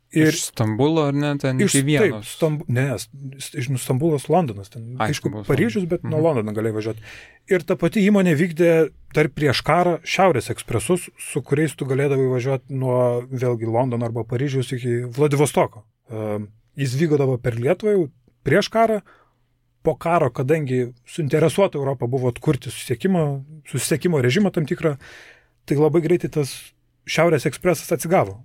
Iš Stambulo, ar ne, ten iki Vienos? Iš Stambulos Londonas, ten, aišku, Paryžius, bet nuo Londono galėjai važiuoti. Ir ta pati įmonė vykdė dar prieš karą Šiaurės ekspresus, su kuriais tu galėdavai važiuoti nuo vėlgi Londono arba Paryžiaus iki Vladivostoko. Jis vykodavo per Lietuvą jau prieš karą, po karo, kadangi suinteresuota Europa buvo atkurti susisiekimo režimą tam tikrą, tai labai greitai tas Šiaurės ekspresas atsigavo.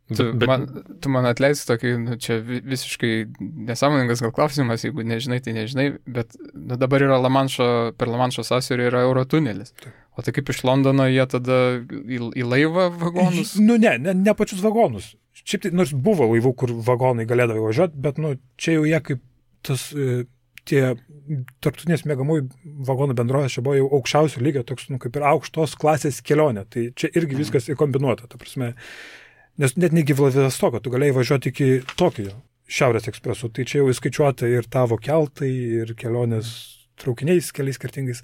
Tu man atleisi tokį, čia visiškai nesąmoningas gal klausimas, jeigu nežinai, tai nežinai, bet dabar yra per Lamanšo sąsiaurį yra Eurotunelis. O tai kaip iš Londono jie tada į laivą vagonus? Ne pačius vagonus. Šiaip tai, nors buvo laivų, kur vagonai galėdavo važiuoti, bet čia jau jie kaip tie tarptautinės miegamųjų vagonų bendrovės čia buvo jau aukščiausio lygio, toks kaip ir aukštos klasės kelionė. Tai čia irgi viskas įkombinuota, ta prasme. Nes net negi Vladivostoko, tu galėjai važiuoti iki Tokijo, Šiaurės ekspresu, tai čia jau įskaičiuota ir tavo keltai, ir kelionės traukiniais keliais skirtingais.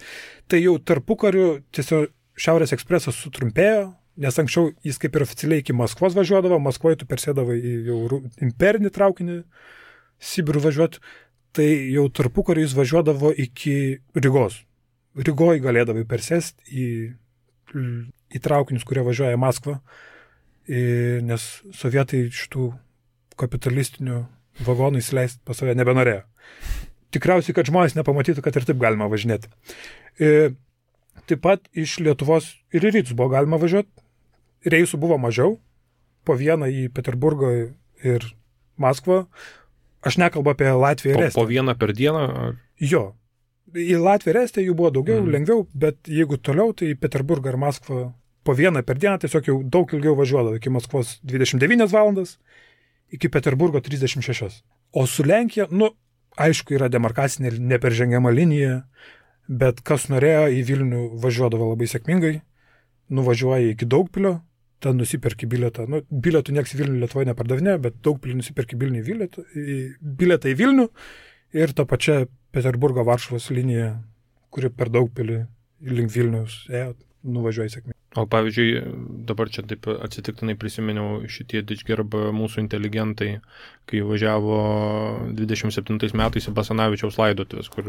Tai jau tarpukariu tiesiog Šiaurės ekspresas sutrumpėjo, nes anksčiau jis kaip ir oficialiai iki Maskvos važiuodavo, Maskvoje tu persėdavai į jau imperinį traukinį Sibirų važiuoti, tai jau tarpukariu jis važiuodavo iki Rygos. Rygoje galėdavai persėsti į traukinius, kurie važiuoja į Maskvą. Nes sovietai šitų kapitalistinių vagonų įsileisti pas save nebenorėjo. Tikriausiai, kad žmonės nepamatytų, kad ir taip galima važinėti. Taip pat iš Lietuvos ir į rytus buvo galima važiuoti. Reisų buvo mažiau, po vieną į Peterburgą ir Maskvą. Aš nekalbu apie Latviją ir Estiją. Po vieną per dieną? Ar... Jo. Į Latviją ir Estiją jų buvo daugiau, lengviau, bet jeigu toliau, tai į Peterburgą ir Maskvą po vieną per dieną tiesiog jau daug ilgiau važiuodavo, iki Maskvos 29 valandas, iki Peterburgo 36. O su Lenkija, aišku, yra demarkacinė neperžengiama linija, bet kas norėjo į Vilnių važiuodavo labai sėkmingai, nuvažiuoja iki Daugpilio, ten nusiperki bilietą. Bilietų nieks į Vilnių Lietuvoje nepardavinė, bet Daugpilį nusiperki bilietą į Vilnių ir tą pačią Peterburgo Varšuvos liniją, kuri per Daugpilį link Vilniaus ėjo, nuvažiuoja sėkmingai. O pavyzdžiui, dabar čia taip atsitiktinai prisiminiau šitie Didžgerb mūsų inteligentai, kai važiavo 27 metais į Basanavičiaus laidotuvės, kur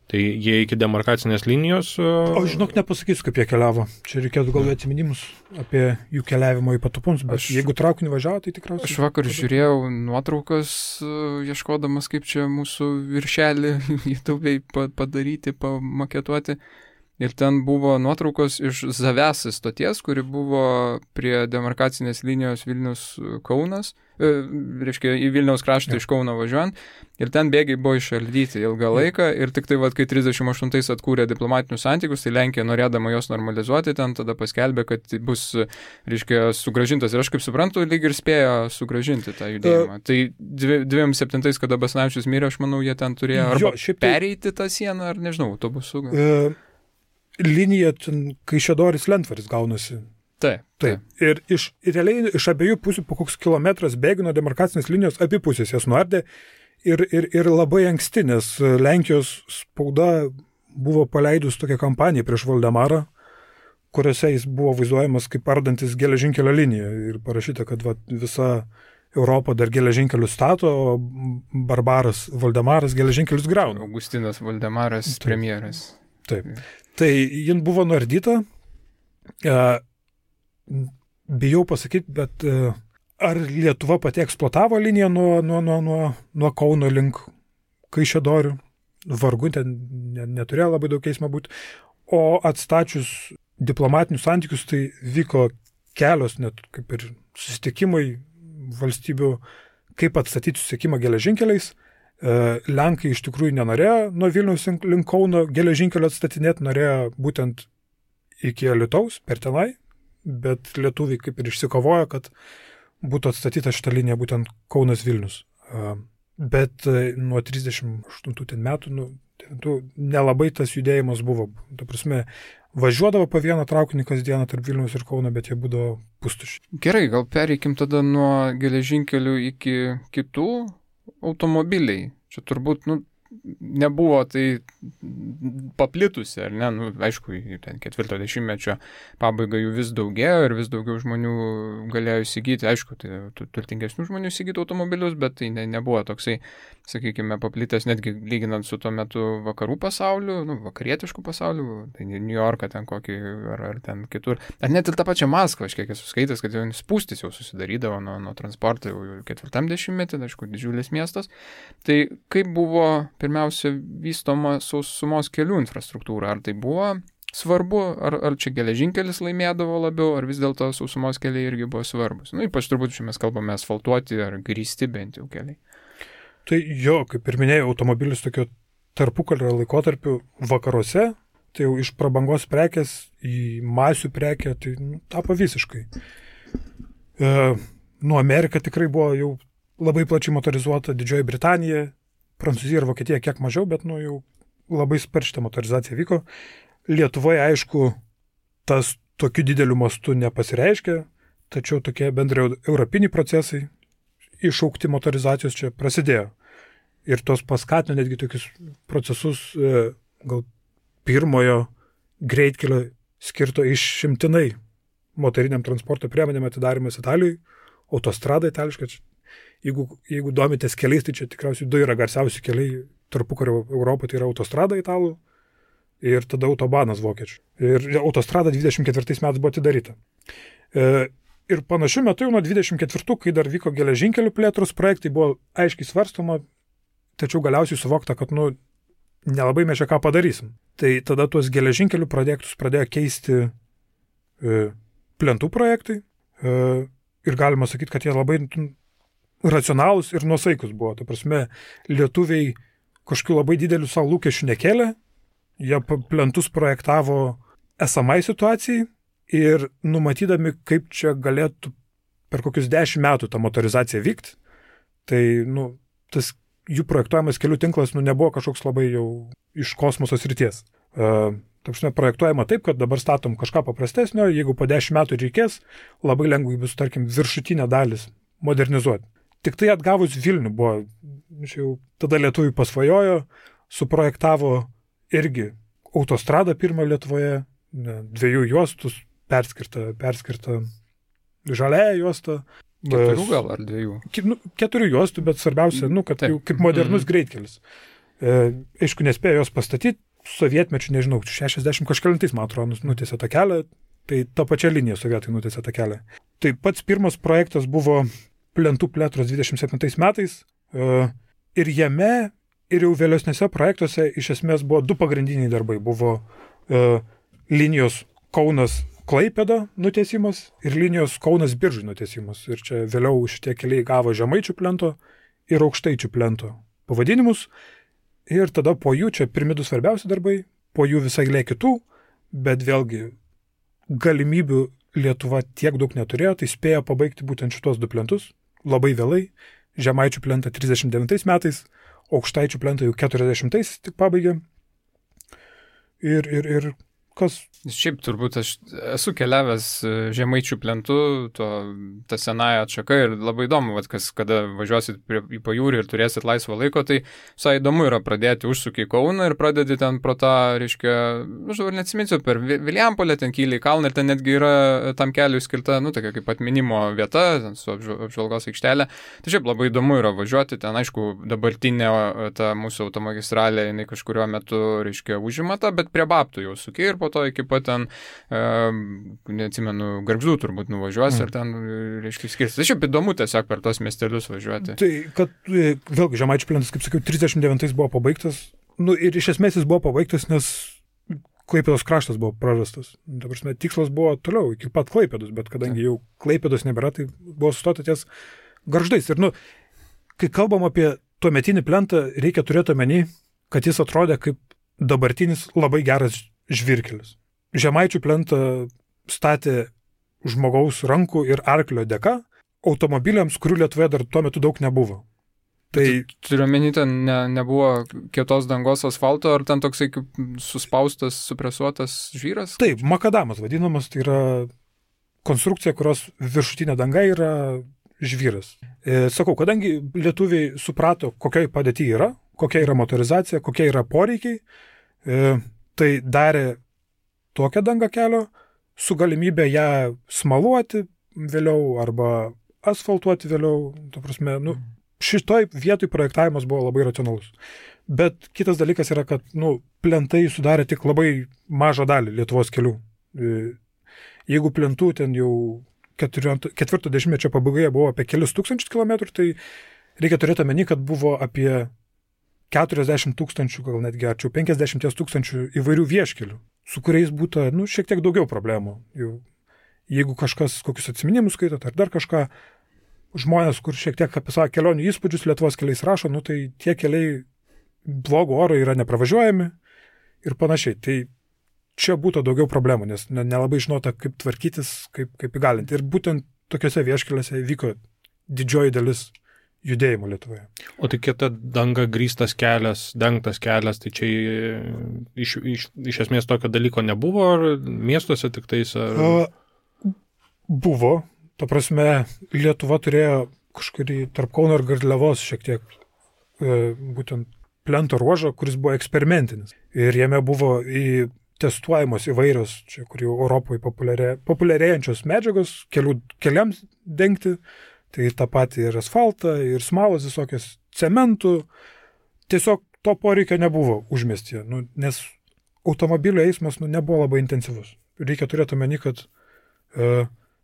tai jie iki demarkacinės linijos... O žinok, nepasakysiu, kaip jie keliavo. Čia reikėtų galvoti atsiminimus apie jų keliavimo į Patupums, bet jeigu traukiniu važiavo, tai tikriausiai... Aš vakar žiūrėjau nuotraukas, ieškodamas, kaip čia mūsų viršelį YouTube'ai padaryti, pamaketuoti. Ir ten buvo nuotraukos iš Zavesas stoties, kuri buvo prie demarkacinės linijos Vilnius-Kaunas, reiškia į Vilniaus kraštą iš Kauno važiuojant, ir ten bėgiai buvo išardyti ilgą laiką, ir tik tai, kai 38 atkūrė diplomatinius santykius, tai Lenkija, norėdama jos normalizuoti, ten tada paskelbė, kad bus, reiškia, sugrąžintas. Ir aš kaip suprantu, lyg ir spėjo sugrąžinti tą judėjimą. Tai 27, kada Basanavičius mirė, aš manau, jie ten turėjo arba pereiti tą sieną, ar nežinau, autobusu. Linija, Kaišiadorys Lentvaris gaunasi. Taip. Ir realiai iš abiejų pusių po koks kilometras bėgių nuo demarkacinės linijos abi pusės jas nuardė ir labai anksti, nes Lenkijos spauda buvo paleidus tokią kampaniją prieš Valdemarą, kuriuose jis buvo vaizduojamas kaip ardantis geležinkelio liniją ir parašyta, kad visa Europa dar geležinkelius stato, o barbaras Valdemaras geležinkelius grauna. Augustinas Valdemaras, premjeras. Taip. Tai jin buvo nuardyta. Bijau pasakyti, bet ar Lietuva pati eksploatavo liniją nuo Kauno link Kaišiadorių? Vargu, ten neturėjo labai daug eismo būti. O atstačius diplomatinius santykius, tai vyko kelios net kaip ir susitikimai valstybių, kaip atstatyti susisiekimą geležinkeliais. Lenkai iš tikrųjų nenorėjo nuo Vilniaus link Kauno geležinkelio atstatinėti, norėjo būtent iki Alytaus, per tenai, bet lietuviai kaip ir išsikovojo, kad būtų atstatyta šitą liniją būtent Kaunas Vilnius. Bet nuo 38 metų nelabai tas judėjimas buvo. Ta prasme, važiuodavo po vieną traukinį kasdieną tarp Vilniaus ir Kauno, bet jie būdavo pustuši. Gerai, gal pereikim tada nuo geležinkelių iki kitų automobiliai. Čia turbūt, nebuvo tai paplitusi, ar ne? Aišku, ten 40-mečio pabaiga jų vis daugėjo ir vis daugiau žmonių galėjo įsigyti. Aišku, tai turtingesnių žmonių įsigyti automobilius, bet tai nebuvo toksai, sakykime, paplitęs netgi lyginant su tuo metu vakarų pasauliu, vakarietiškų pasauliu, tai New Yorką ten kokį ar ten kitur. Ar net ir tą pačią Maskvą, aš kiek esu skaitęs, kad jau spūstis jau susidarydavo nuo transporto jau 40-metį, aišku, didžiulis miestas. Tai kaip buvo pirmiausia vystoma sausumos kelių infrastruktūra? Ar tai buvo svarbu, ar čia geležinkelis laimėdavo labiau, ar vis dėlto sausumos keliai irgi buvo svarbus? Ypač turbūt čia mes kalbame asfaltuoti ar grįsti bent jau keliai. Tai jo, kaip ir minėjau, automobilis tokio tarpukario laikotarpiu vakaruose, tai jau iš prabangos prekės į masių prekę, tai tapo visiškai. Amerika tikrai buvo jau labai plačiai motorizuota, Didžioji Britanija, Prancūzija ir Vokietija kiek mažiau, bet jau labai sparčiai motorizacija vyko. Lietuvoje, aišku, tas tokiu dideliu mastu nepasireiškia, tačiau tokie bendrai europiniai procesai išaukti motorizacijos čia prasidėjo. Ir tos paskatino netgi tokius procesus, gal pirmojo greitkelio skirto išimtinai motoriniam transporto priemonėm atidarimas Italijoje, autostrada itališka. Jeigu domitės keliais, tai čia tikriausiai du yra garsiausi keliai tarpukario Europoje, tai yra autostrada italų ir tada autobanas vokiečių. Ir autostrada 24 metais buvo atidaryta. Ir panašiu metu jau nuo 24, kai dar vyko geležinkelių plėtros projektai, buvo aiškiai svarstoma, tačiau galiausiai suvokta, kad nelabai mes čia ką padarysim. Tai tada tuos geležinkelių projektus pradėjo keisti plentų projektai ir galima sakyti, kad jie labai racionalūs ir nuosaikus buvo. Ta prasme, lietuviai kažkokių labai didelių savo lūkesčių nekėlė, jie plentus projektavo esamai situacijai ir numatydami, kaip čia galėtų per kokius 10 metų ta motorizacija vykti, tai tas jų projektuojamas kelių tinklas nebuvo kažkoks labai jau iš kosmoso srities. Ta prasme, projektuojama taip, kad dabar statom kažką paprastesnio, jeigu po 10 metų reikės, labai lengvai bus, tarkim, viršutinę dalis modernizuoti. Tik tai atgavus Vilnių buvo, tada lietuviai pasvajojo, suprojektavo irgi autostradą pirmą Lietuvoje, 2 juostus, perskirta žaliąją juostą. 4 gal ar 2? 4 juostų, bet svarbiausia, kad jau kaip modernus greitkelis. Aišku, nespėjo jos pastatyti, sovietmečių, nežinau, 60 kažkelintais, man atrodo, nutiesė tą kelią, tai tą pačią liniją sovietai nutiesė tą kelią. Tai pats pirmas projektas buvo plentų plėtros 27 metais ir jame ir jau vėlesnėse projektuose iš esmės buvo 2 pagrindiniai darbai. Buvo linijos Kaunas-Klaipėda nutiesimas ir linijos Kaunas-Biržai nutiesimas. Ir čia vėliau šitie keliai gavo Žemaičių plento ir Aukštaičių plento pavadinimus. Ir tada po jų, čia pirmi 2 svarbiausi darbai, po jų visai eilė kitų, bet vėlgi galimybių Lietuva tiek daug neturėjo, tai spėjo pabaigti būtent šitos 2 plentus. Labai vėlai, Žemaičių plentą 39 metais, Aukštaičių plentą jau 40 tik pabaigė. Ir kas... Šiaip turbūt aš esu keliavęs Žemaičių plentu, ta senąją atšaka ir labai įdomu, kada važiuosit į pajūrį ir turėsit laisvo laiko, tai visai įdomu yra pradėti užsukį į Kauną ir pradėti ten pro tą, reiškia, aš dabar neatsiminsiu, per Vilijampolę ten kyli į kalną ir ten netgi yra tam keliui skirta, tokia kaip atminimo vieta, ten su apžvalgos aikštelė. Tai šiaip labai įdomu yra važiuoti, ten aišku dabartinė ta mūsų automagistralė, jinai kažkurio metu, reiškia, užima tą, bet prie Babtų jau suki ir po to iki pat ten, neatsimenu, Gargždų turbūt nuvažiuos ir ten, reiškia, skirsis. Tai šiaip įdomu tiesiog per tos miestelius važiuoti. Tai, kad vėlgi Žemaičių plentas, kaip sakiau, 39 buvo pabaigtas, ir iš esmės jis buvo pabaigtas, nes Klaipėdos kraštas buvo prarastas. Ta prasme, tikslas buvo toliau, iki pat Klaipėdos, bet kadangi jau Klaipėdos nebėra, tai buvo sustota ties Gargždais. Ir, kai kalbam apie tuometinį plentą, reikia turėti omeny, kad jis atrodė kaip dabartinis labai geras žvyrkelis. Žemaičių plentą statė žmogaus rankų ir arklio dėka automobiliams, kurių Lietuvoje dar tuo metu daug nebuvo. Tai turiu omeny, ten nebuvo kietos dangos asfalto, ar ten toksai kaip suspaustas, supresuotas žvyras? Taip, makadamas vadinamas, tai yra konstrukcija, kurios viršutinė danga yra žvyras. Sakau, kadangi lietuviai suprato, kokia padėtį yra, kokia yra motorizacija, kokie yra poreikiai, tai darė tokią dangą kelio su galimybė ją smaluoti vėliau arba asfaltuoti vėliau. Ta prasme, šitoj vietoj projektavimas buvo labai racionalus. Bet kitas dalykas yra, kad plentai sudarė tik labai mažą dalį Lietuvos kelių. Jeigu plentų ten jau 40-mečio pabaigoje buvo apie kelius tūkstančius kilometrų, tai reikia turėti omeny, kad buvo apie 40 000, gal netgi arčiau 50 000 įvairių vieškelių, su kuriais būtų, šiek tiek daugiau problemų. Jeigu kažkas kokius atsiminimus skaitot ar dar kažką, žmonės, kur šiek tiek apie savo kelionių įspūdžius Lietuvos keliais rašo, tai tie keliai blogo oro yra nepravažiuojami ir panašiai. Tai čia būtų daugiau problemų, nes nelabai žinota, kaip tvarkytis, kaip įgalinti. Ir būtent tokiuose vieškeliuose vyko didžioji dalis judėjimo Lietuvoje. O tai kieta danga grįstas kelias, dengtas kelias, tai čia iš esmės tokio dalyko nebuvo, ar miestuose tik tais? Ar... Buvo. Ta prasme, Lietuva turėjo kažkurį tarp Kauno ir Garliavos šiek tiek būtent plento ruožą, kuris buvo eksperimentinis. Ir jame buvo testuojamos įvairios, čia kur jau Europoje populiarėjančios medžiagos keliams dengti. Tai tą patį ir asfaltą, ir smalas visokias cementų. Tiesiog to poreikio nebuvo užmiestyje, nes automobilio eismas nebuvo labai intensyvus. Reikia turėti omeny, kad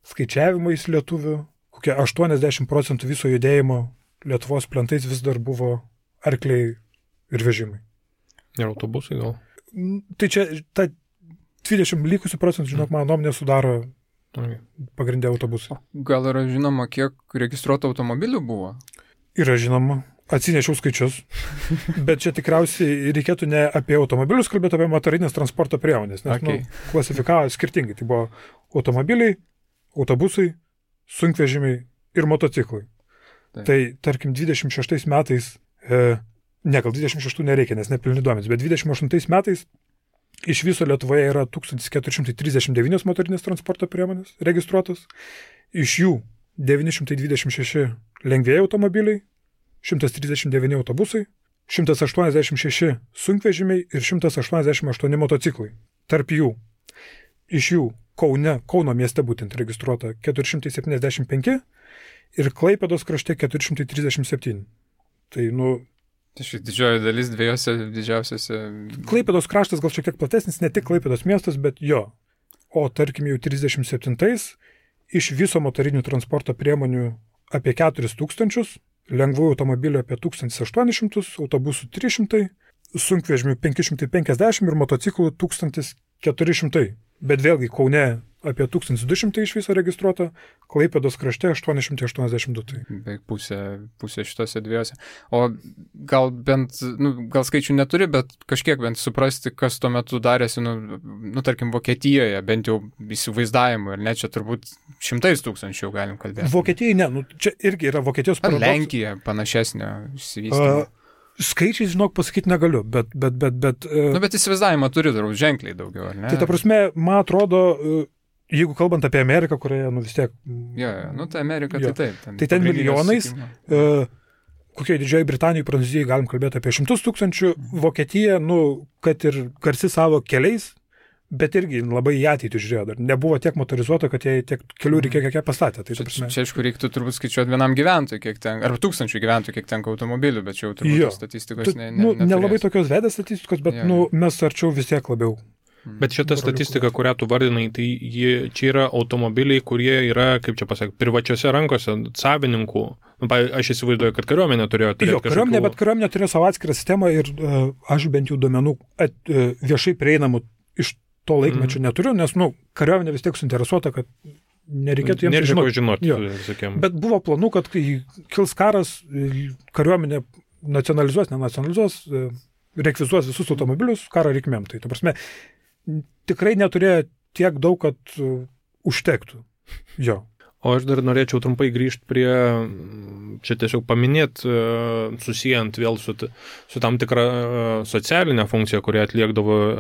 skaičiavimais lietuvių, kokie 80% viso judėjimo Lietuvos plentais vis dar buvo arkliai ir vežimai. Ir autobusai gal? Tai čia ta 20 likusių procentų, žinok, mano nuomonė sudaro pagrindė autobusai. Gal yra žinoma, kiek registruotų automobilių buvo? Yra žinoma. Atsinešiau skaičius. Bet čia tikriausiai reikėtų ne apie automobilius kalbėti, apie motorinės transporto priemonės. Nes klasifikavo skirtingai. Tai buvo automobiliai, autobusai, sunkvežimiai ir motociklai. Tai tarkim 26 metais, gal 26 nereikia, nes nepilni duomenys, bet 28 metais iš viso Lietuvoje yra 1439 motorinės transporto priemonės registruotos, iš jų 926 lengvieji automobiliai, 139 autobusai, 186 sunkvežimiai ir 188 motociklai. Tarp jų, iš jų Kauno mieste būtent registruota 475 ir Klaipėdos krašte 437. Tai, didžioji dalis dviejose didžiausiose. Klaipėdos kraštas gal šiek tiek platesnis, ne tik Klaipėdos miestas, bet jo. O tarkim jau 37-ais iš viso motorinių transporto priemonių apie 4000, lengvųjų automobilių apie 1800, autobusų 300, sunkvežimių 550 ir motociklų 1400. Bet vėlgi Kaune apie 1200 iš viso registruota, Klaipėdos krašte 882. Beveik pusė šitose dviejose. O gal bent, gal skaičių neturi, bet kažkiek bent suprasti, kas tuo metu darėsi, tarkim, Vokietijoje, bent jau įsivaizdavimu, ir net čia turbūt 100 000 jau galim kalbėti. Vokietijai ne, čia irgi yra Vokietijos paradoksas. Lenkija panašesnė išsivystymą. Skaičiais, žinok, pasakyti negaliu, bet... Bet įsivaizdavimą turi turbūt ženkliai daugiau, ar ne? Tai ta prasme, man atrodo, jeigu kalbant apie Ameriką, kurioje, vis tiek... Tai Amerika, tai taip. Tai ten milijonais, kokioje Didžioji Britanijai, Prancūzijai galim kalbėti apie 100 000, Vokietija, kad ir garsi savo keliais, bet irgi labai į ateitį žiūrėjo. Dar nebuvo tiek motorizuota, kad jie tiek kelių reikėjo, kiek pastatė. Tai, čia aišku, reiktų turbūt skaičiuoti vienam gyventojui, kiek ten, arba 1000 gyventojų, kiek tenka automobilių, bet čia jau turbūt statistikos nelabai tokios vedės statistikos, bet mes arčiau vis tiek labiau. Bet šita statistika, kurią tu vardinai, tai čia yra automobiliai, kurie yra, kaip čia pasakyti, privačiose rankose, savininkų. Aš įsivaizduoju, kad kariuomenė turėjo turėti kažkokių... Kariuomenė, bet kariuomenė turėjo savo atskirą sistemą ir aš bent jau duomenų viešai prieinamų iš to laikmečio neturiu, nes, kariuomenė vis tiek suinteresuota, kad nereikėtų jiems žinoti. Bet buvo planų, kad kai kils karas, kariuomenė nenacionalizuos, rekvizuos visus automobilius karo reikmėm. Tai, ta prasme, tikrai neturėjo tiek daug, kad užtektų. Jo. O aš dar norėčiau trumpai grįžti prie, čia tiesiog paminėti, susijant vėl su tam tikra socialinė funkcija, kurią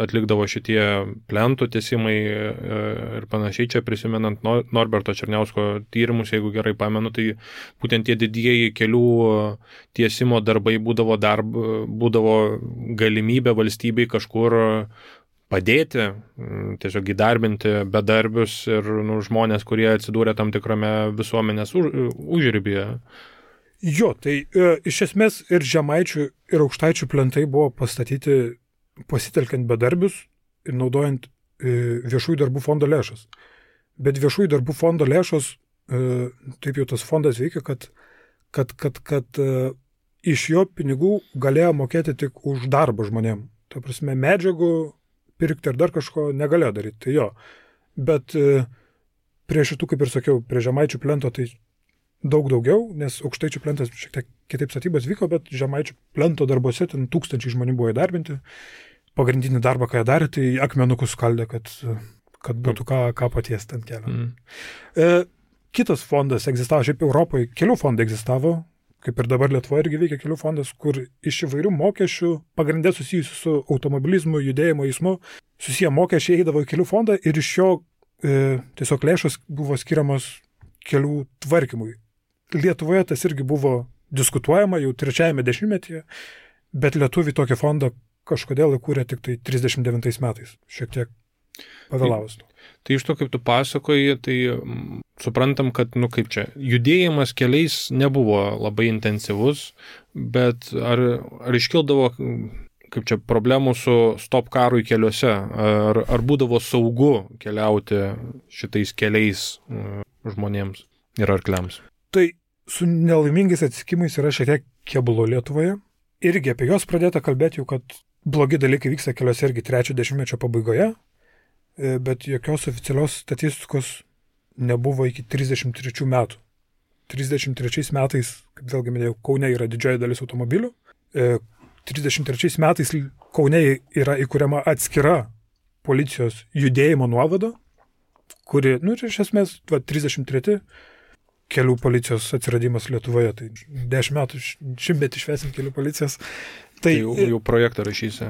atlikdavo šitie plentų tiesimai ir panašiai. Čia prisimenant Norberto Černiausko tyrimus, jeigu gerai pamenu, tai būtent tie didieji kelių tiesimo darbai būdavo galimybė valstybei kažkur padėti, tiesiog įdarbinti bedarbius ir žmonės, kurie atsidūrė tam tikrame visuomenės užribyje. Jo, tai iš esmės ir Žemaičių, ir Aukštaičių plentai buvo pastatyti pasitelkiant bedarbius ir naudojant viešųjų darbų fondo lėšas. Bet viešųjų darbų fondo lėšos, taip jau tas fondas veikia, kad iš jo pinigų galėjo mokėti tik už darbą žmonėm. Ta prasme, medžiagų pirkti ar dar kažko negalėjo daryti. Tai jo. Bet prie šitų, kaip ir sakiau, prie Žemaičių plento tai daug daugiau, nes Aukštaičių plentas šiek tiek kitaip statybos vyko, bet Žemaičių plento darbuose ten 1000 žmonių buvo įdarbinti. Pagrindinį darbą, ką jie darė, tai akmenukus skaldė, kad būtų ką patiesti ant kelio. Kitas fondas egzistavo, šiaip Europoje kelių fondai egzistavo, kaip ir dabar Lietuvoje irgi veikia kelių fondas, kur iš įvairių mokesčių, pagrindė susijusių su automobilizmu, judėjimo eismu, susiję mokesčiai eidavo į kelių fondą ir iš jo tiesiog lėšos buvo skiriamos kelių tvarkymui. Lietuvoje tas irgi buvo diskutuojama jau 3-ame dešimtmetyje, bet lietuviai tokį fondą kažkodėl įkūrė tik tai 39 metais, šiek tiek pavėlavus. Tai iš to, kaip tu pasakoji, tai suprantam, kad, kaip čia, judėjimas keliais nebuvo labai intensyvus, bet ar iškildavo, kaip čia, problemų su stop karui keliuose, ar būdavo saugu keliauti šitais keliais žmonėms ir arkliams? Tai su nelaimingais atsitikimais yra šiek tiek keblu Lietuvoje. Irgi apie juos pradėta kalbėti jau, kad blogi dalykai vyksta keliuose irgi 3-ojo dešimtmečio pabaigoje, bet jokios oficialios statistikos nebuvo iki 33 metų. 33 metais, kaip vėlgi minėjau, Kaune yra didžioji dalis automobilių. 33 metais Kaune yra įkuriama atskira policijos judėjimo nuovada, kuri, iš esmės, 33 kelių policijos atsiradimas Lietuvoje. Tai 10 metų šimtmetį švęsim kelių policijos. Tai jau projektą rašysi.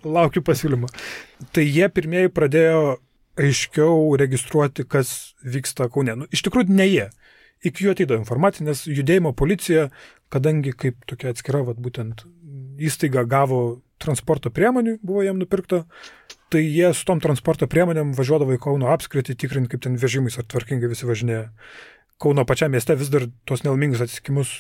Laukiu pasiūlymą. Tai jie pirmieji pradėjo aiškiau registruoti, kas vyksta Kaune. Iš tikrųjų, ne jie. Iki jų ateidavo informacija, nes judėjimo policija, kadangi kaip tokia atskira, būtent įstaiga gavo transporto priemonių, buvo jam nupirkta, tai jie su tom transporto priemonėm važiuodavo į Kauno apskritį, tikrinti, kaip ten vežimais ar tvarkingai visi važinėja. Kauno pačiam mieste vis dar tos nelaimingus atsitikimus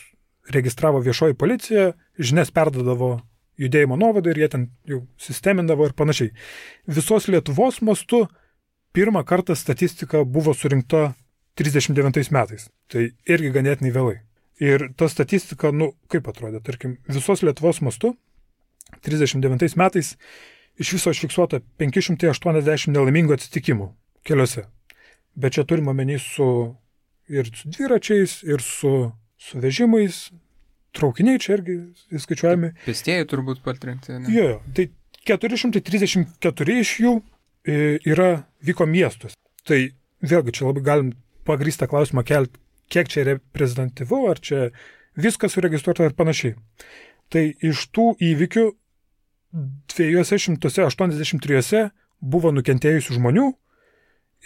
registravo viešoji policija, žinias perdodavo judėjimo nuovadai ir jie ten jau sistemindavo ir panašiai. Visos Lietuvos mastu pirmą kartą statistika buvo surinkta 39 metais. Tai irgi ganėtinai vėlai. Ir ta statistika, kaip atrodė, tarkim, visos Lietuvos mastu 39 metais iš viso užfiksuota 580 nelaimingų atsitikimų keliuose. Bet čia turime omeny ir su dviračiais, ir su vežimais, traukiniai čia irgi įskaičiuojami. Pėstieji turbūt patrenkti. Jo, tai 434 iš jų vyko miestus. Tai vėlgi čia labai galim pagrįstą klausimą kelti, kiek čia reprezentatyvu, ar čia viskas suregistruota ir panašiai. Tai iš tų įvykių 283 buvo nukentėjusių žmonių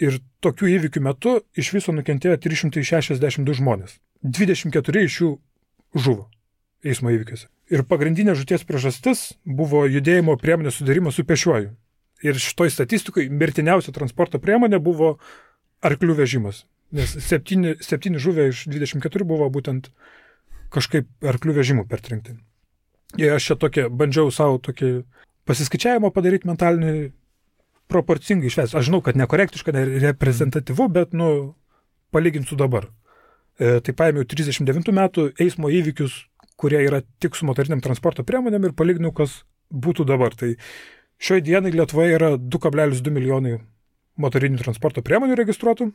ir tokių įvykių metu iš viso nukentėjo 362 žmonės. 24 iš jų žuvo eismo įvykiuose. Ir pagrindinė žūties priežastis buvo judėjimo priemonės sudarimas su pešiuoju. Ir šitoj statistikoje mirtiniausia transporto priemonė buvo arklių vežimas. Nes 7 žuvę iš 24 buvo būtent kažkaip arklių vežimų pertrenkti. Ir aš čia bandžiau savo tokį pasiskaičiavimą padaryti mentalinį proporcingai išvesti. Aš žinau, kad nekorektiška, nereprezentatyvu, bet, palyginsiu dabar. Tai paėmiau 39 metų eismo įvykius, kurie yra tik su motoriniam transporto priemonėm ir palyginau, kas būtų dabar. Tai šioj dienai Lietuvoje yra 2,2 milijonai motorinių transporto priemonių registruotų.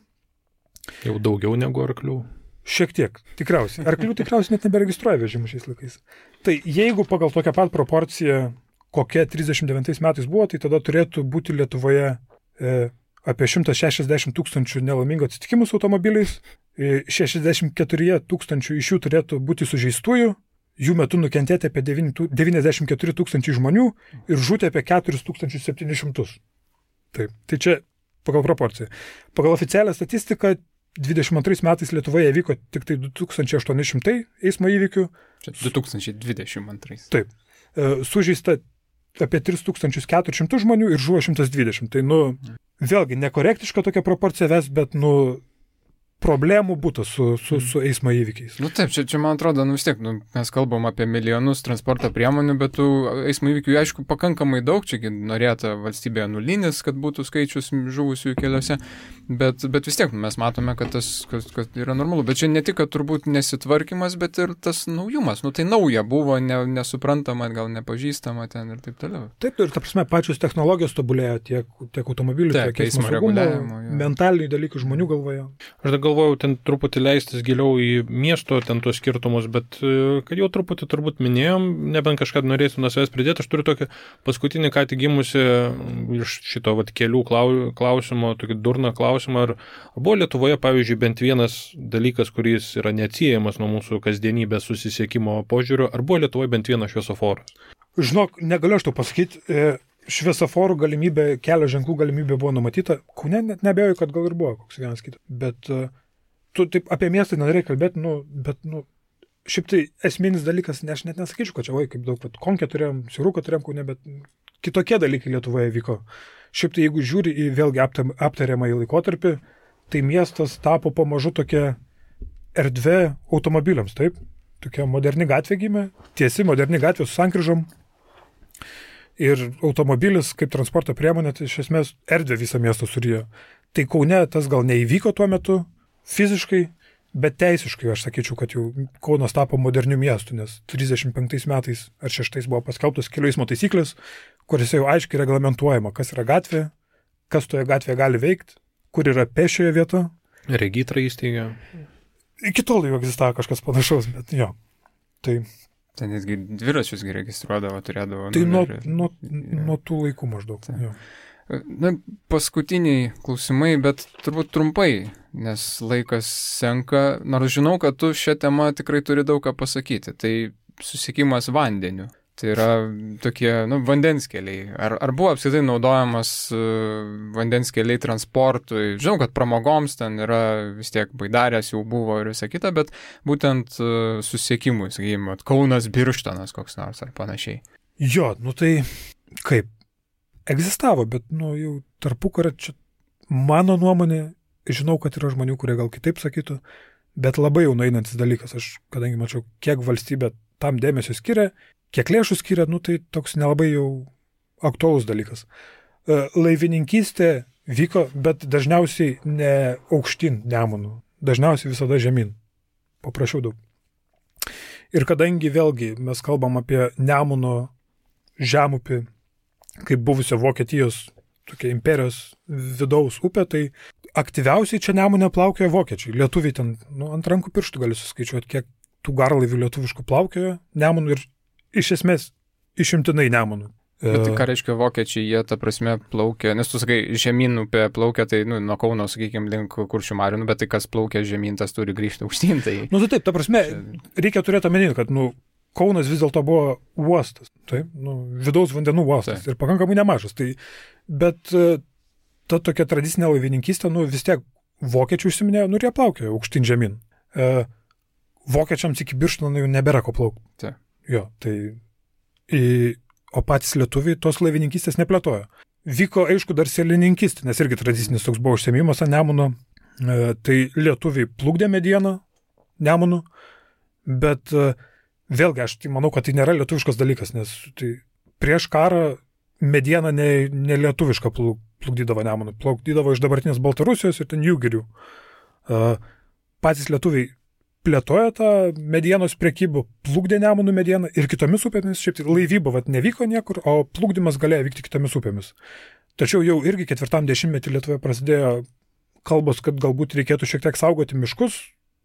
Jau daugiau negu arklių. Šiek tiek, tikriausiai. Arklių tikriausiai net neberegistruoja vežimų šiais laikais. Tai jeigu pagal tokią pat proporciją, kokia 39 metais buvo, tai tada turėtų būti Lietuvoje apie 160 tūkstančių nelaimingų atsitikimų su automobiliais, 64 tūkstančių iš jų turėtų būti sužeistųjų, jų metu nukentėti apie 94 tūkstančių žmonių ir žūti apie 4700. Taip, tai čia pagal proporciją. Pagal oficialią statistiką 22 metais Lietuvoje vyko tik tai 2800 eismo įvykių. Čia 2022. Taip. Sužeista apie 3400 žmonių ir žuvo 120. Tai, vėlgi, nekorektiška tokia proporcija ves, bet, problemų būtų su eismo įvykiais. Taip, čia man atrodo, vis tiek, mes kalbam apie milijonus transporto priemonių, bet tų eismo įvykių, aišku, pakankamai daug, čia norėta valstybėje nulinis, kad būtų skaičius žuvusių keliuose, bet vis tiek mes matome, kad tas kad yra normalu. Bet čia ne tik, kad turbūt nesitvarkymas, bet ir tas naujumas. Tai nauja buvo, nesuprantama, gal nepažįstama ten ir taip toliau. Taip, ir ta prasme, pačios technologijos tobulėjo tiek automobilių, tiek eismo saugumo, mentalinių dalykų žmonių galvoje. Aš galvojau ten truputį leistis giliau į miesto ten tuos skirtumus, bet kad jau truputį turbūt minėjom, nebent kažką norėsiu nuo savęs pridėti, aš turiu tokį paskutinį ką tik gimusi iš šito kelių klausimo, tokį durną klausimą, ar buvo Lietuvoje, pavyzdžiui, bent vienas dalykas, kuris yra neatsiejamas nuo mūsų kasdienybės susisiekimo požiūrio, ar buvo Lietuvoje bent vienas šviesoforas? Žinok, negaliu aš to pasakyti. Šviesoforų galimybė, kelio ženklų galimybė buvo numatyta. Kaune net neabejoju, kad gal ir buvo koks vienas kitas. Bet tu taip apie miestą nenorėjai kalbėti, šiaip tai esminis dalykas, aš net nesakyčiau, kad čia, kaip daug, Konkę turėjom, Siruką turėjom Kaune, bet kitokie dalykai Lietuvoje vyko. Šiaip tai jeigu žiūri į vėlgi aptariamą į laikotarpį, tai miestas tapo pamažu tokia erdvė automobiliams, taip? Tokia moderni gatvė gimė, tiesi moderni gatvė su sankryžom. Ir automobilis kaip transporto priemonė, tai iš esmės erdvė visą miestą surijo. Tai Kaune tas gal neįvyko tuo metu fiziškai, bet teisiškai aš sakyčiau, kad jau Kaunas tapo moderniu miestu, nes 35 metais ar 6 buvo paskelbtos kelių eismo taisyklės, kuriuose jau aiškiai reglamentuojama, kas yra gatvė, kas toje gatvėje gali veikti, kur yra pėsčiojo vieta. Regitrą įsteigė. Iki tol jau egzistavo kažkas panašaus, bet jo. Tai ten netgi dviračius registruodavo, turėdavo. Tai nuo tų laikų maždaug. Paskutiniai klausimai, bet turbūt trumpai, nes laikas senka. Nors žinau, kad tu šią temą tikrai turi daug ką pasakyti. Tai susiekimas vandeniu. Tai yra tokie, vandens keliai. Ar buvo apskritai naudojamas vandens keliai transportui? Žinau, kad pramogoms ten yra vis tiek baidarės jau buvo ir visa kita, bet būtent susiekimui, sakykime, Kaunas Birštonas koks nors ar panašiai. Jo, tai kaip? Egzistavo, bet jau tarpukario čia mano nuomonė, žinau, kad yra žmonių, kurie gal kitaip sakytų, bet labai jau nueinantis dalykas. Aš, kadangi mačiau, kiek valstybė tam dėmesio skiria, kiek lėšų skiria, tai toks nelabai jau aktualus dalykas. Laivininkystė vyko, bet dažniausiai ne aukštyn Nemunu, dažniausiai visada žemyn. Paprašiau daug. Ir kadangi vėlgi mes kalbam apie Nemuno žemupį, kaip buvusio Vokietijos tokia imperijos vidaus upė, tai aktyviausiai čia Nemune plaukioja vokiečiai. Lietuviai ten ant rankų pirštų gali suskaičiuoti, kiek tų garlaivių lietuviškų plaukioja Nemunu ir iš esmės išimtinai Nemunu. Bet tai ką reiškia vokiečiai, jie ta prasme plaukia, nes tu sakai, žemyn upė plaukia, tai nuo Kauno, sakykime, link Kuršių marių, bet tai kas plaukia žemyn, tas turi grįžti aukštyn. Tai taip, ta prasme, reikia turėti omenyje, kad Kaunas vis dėlto buvo uostas, taip, vidaus vandenų uostas ir pakankamai nemažas. Tai, bet ta tokia tradicinė laivininkystė, vis tiek vokiečių užsiminėjo, ir jie plaukė aukštyn žemyn. Vokiečiams iki Birštono jau nebėra ko plaukti. Jo, o patys lietuviai tos laivininkystės neplėtojo. Vyko, aišku, dar sėlininkystė, nes irgi tradicinis toks buvo užsiėmimas ant Nemuno. Tai lietuviai plukdė medieną Nemunu, bet vėlgi aš manau, kad tai nėra lietuviškas dalykas, nes prieš karą medieną ne lietuvišką plukdydavo Nemunu, plukdydavo iš dabartinės Baltarusijos ir ten Jūgirių. Patys lietuviai plėtojo tą medienos prekybą, plukdė Nemunų medieną ir kitomis upėmis, šiaip tai laivyba nevyko niekur, o plukdymas galėjo vykti kitomis upėmis. Tačiau jau irgi 4-10 Lietuvoje prasidėjo kalbos, kad galbūt reikėtų šiek tiek saugoti miškus,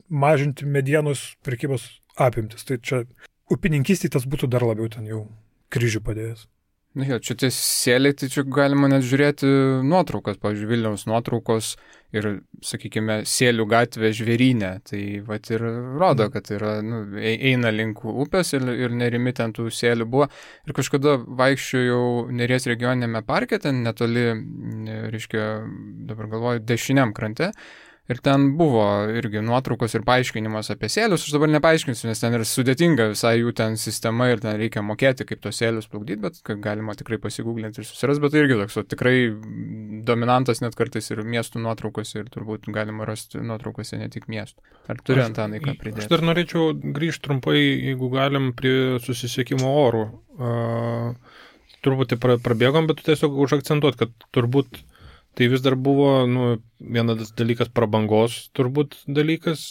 mažinti medienos prekybos apimtis. Tai čia upininkystėje tas būtų dar labiau ten jau kryžių padėjęs. Čia tie sėliai, tai čia galima net žiūrėti nuotraukas, pavyzdžiui, Vilniaus nuotraukos ir, sakykime, Sėlių gatvė Žvėrynė. Tai ir rodo, kad eina link upės ir nerimi ten tų sėlių buvo. Ir kažkada vaikščiojau Neries regioninėme parke, ten netoli, reiškia, dabar galvoju, dešiniam krante. Ir ten buvo irgi nuotraukos ir paaiškinimas apie sėlius. Aš dabar nepaaiškinsiu, nes ten yra sudėtinga visai jų ten sistema ir ten reikia mokėti, kaip tos sėlius plukdyti, bet galima tikrai pasigūglinti ir susiras. Bet tai irgi toks tikrai dominantas net kartais ir miestų nuotraukos ir turbūt galima rasti nuotraukose ne tik miestų. Ar turi Antanai ką pridėti? Aš dar norėčiau grįžti trumpai, jeigu galim, prie susisiekimo orų. Turbūt prabėgom, bet tiesiog užakcentuot, kad turbūt tai vis dar buvo, vienas dalykas prabangos turbūt dalykas,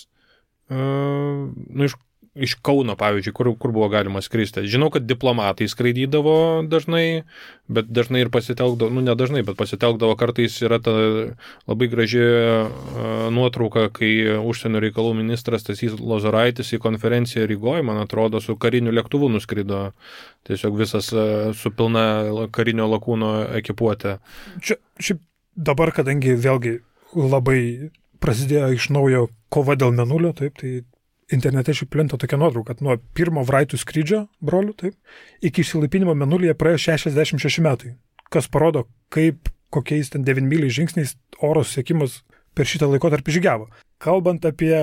iš Kauno, pavyzdžiui, kur buvo galima skristi. Žinau, kad diplomatai skraidydavo dažnai, bet dažnai ir pasitelkdavo, ne dažnai, bet pasitelkdavo kartais yra ta labai graži nuotrauka, kai užsienio reikalų ministras Stasys Lozoraitis į konferenciją Rygoje, man atrodo, su kariniu lėktuvu nuskrido, tiesiog visas su pilna karinio lakūno ekipuotė. Šiaip dabar, kadangi vėlgi labai prasidėjo iš naujo kova dėl Mėnulio, taip, tai internete šiaip plinta tokia nuotrauka, kad nuo pirmo Vraitų skrydžio, brolių, taip, iki išsilaipinimo Mėnulyje praėjo 66 metai, kas parodo, kokiais ten 9 myliais žingsniais oro susiekimas per šitą laikotarpį žygiavo. Kalbant apie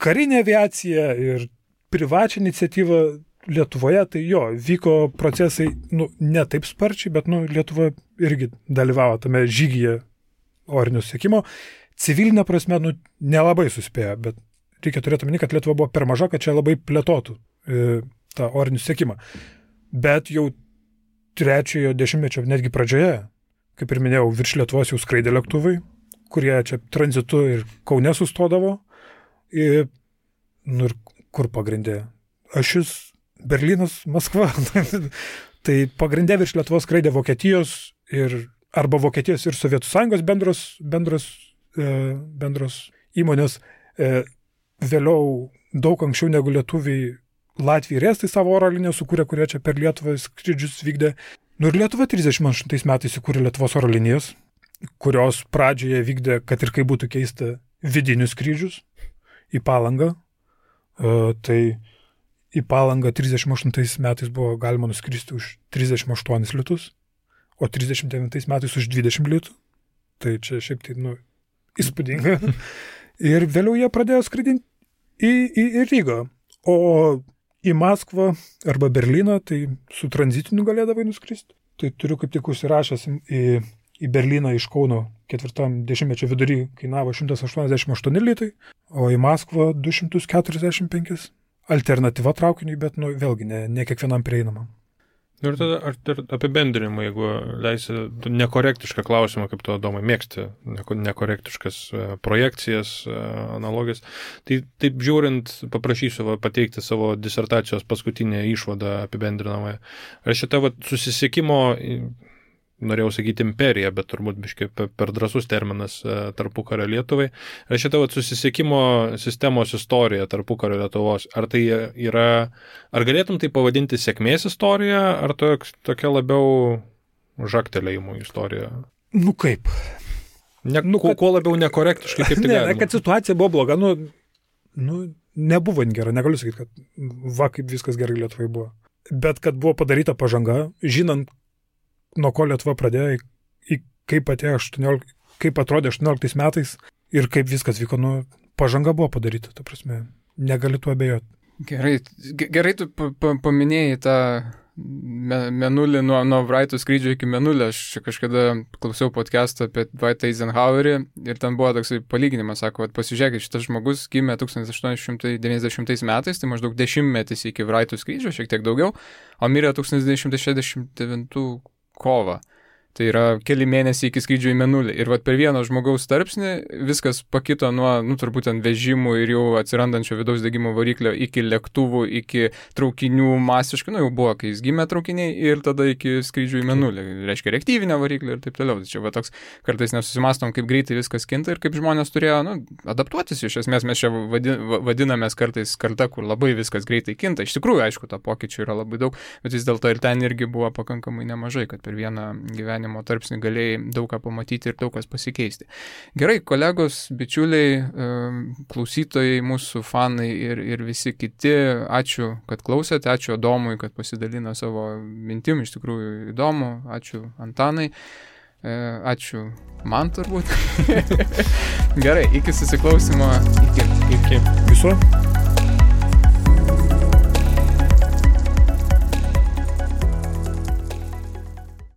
karinę aviaciją ir privačią iniciatyvą Lietuvoje, tai vyko procesai, ne taip sparčiai, bet Lietuva irgi dalyvavo tame žygyje orinio susiekimo. Civilinė prasme, nelabai suspėjo, bet reikia turėti omeny, kad Lietuva buvo per maža, kad čia labai plėtotų tą orinį susiekimą. Bet jau 3-ojo dešimtmečio, netgi pradžioje, kaip ir minėjau, virš Lietuvos jau skraidė lėktuvai, kurie čia tranzitu ir Kaune sustodavo. Ir kur pagrindė? Ašis Berlynas, Maskva. Tai pagrindė virš Lietuvos skraidė Vokietijos arba Vokietijos ir Sovietų Sąjungos bendros įmonės. Vėliau daug anksčiau negu lietuviai Latvijai ir Estai savo oro liniją sukūrė, kurie čia per Lietuvą skrydžius vykdė. Ir Lietuva 38 metais įkūrė Lietuvos oro linijas, kurios pradžioje vykdė, kad ir kaip būtų keista, vidinius skrydžius į Palangą. Tai į Palangą 38 metais buvo galima nuskristi už 38 litus, o 39 metais už 20 litų. Tai čia šiaip tai, įspūdinga. Ir vėliau jie pradėjo skraidinti į Rygą. O į Maskvą arba Berlyną, tai su tranzitiniu galėdavai nuskristi. Tai turiu kaip tik užsirašęs į Berlyną iš Kauno 40-mečio vidury kainavo 188 litai, o į Maskvą 245. Alternatyva traukiniui, bet vėlgi ne kiekvienam prieinama. Ir tada apibendrinimą, jeigu leisi nekorektišką klausimą, kaip tu, Adomai, mėgsti nekorektiškas projekcijas, analogijas. Tai taip žiūrint, paprašysiu pateikti savo disertacijos paskutinę išvadą apibendrinamą. Ar šitą susisiekimo, norėjau sakyti imperija, bet turbūt biškai per drąsus terminas tarpukario Lietuvai. Ar šitą susisiekimo sistemos istorija tarpukario Lietuvos, ar tai yra, ar galėtum tai pavadinti sėkmės istorija, ar tokia labiau žagtelėjimų istorija? Kaip? Kuo labiau nekorektiškai, kaip tai galima? Kad situacija buvo bloga, nebuvo gera, negaliu sakyti, kad va kaip viskas gerai Lietuvai buvo. Bet kad buvo padaryta pažanga, žinant, nuo ko Lietuva pradėjo, kaip atrodė 18 metais ir kaip viskas vyko, pažanga buvo padaryta, ta prasme, negali tuo abejoti. Gerai tu paminėjai tą Mėnulį nuo Wrighto skrydžio iki Mėnulio. Aš kažkada klausiau podcastą apie Dwightą Eisenhowerį ir ten buvo toksai palyginimas, sako, pasižiūrėkit, šitas žmogus gimė 1890 metais, tai maždaug 10 metais iki Wrighto skrydžio, šiek tiek daugiau, o mirė 1969 kovą. Tai yra keli mėnesiai iki skrydžio į Mėnulį. Ir per vieno žmogaus tarpsnį viskas pakito nuo, turbūt ant vežimų ir jau atsirandančio vidaus degimo variklio iki lėktuvų, iki traukinių masiškai, jau buvo, kai jis gimė traukiniai ir tada iki skrydžio į Mėnulį. Reiškia reaktyvinę variklį ir taip toliau. Tai čia toks kartais nesusimastom, kaip greitai viskas kinta ir kaip žmonės turėjo adaptuotis. Iš esmės mes čia vadinamės kartais karta, kur labai viskas greitai kinta. Iš tikrųjų, aišku, to pokyčių yra labai daug, bet vis dėlto ir ten irgi buvo pakankamai nemažai, kad per vieną gyvenimą tarpsnį galėjai daug ką pamatyti ir daug kas pasikeisti. Gerai, kolegos, bičiuliai, klausytojai, mūsų fanai ir visi kiti, ačiū, kad klausėte, ačiū Adomui, kad pasidalino savo mintim, iš tikrųjų įdomu, ačiū Antanai, ačiū man turbūt. Gerai, iki susiklausimo, iki. Viso.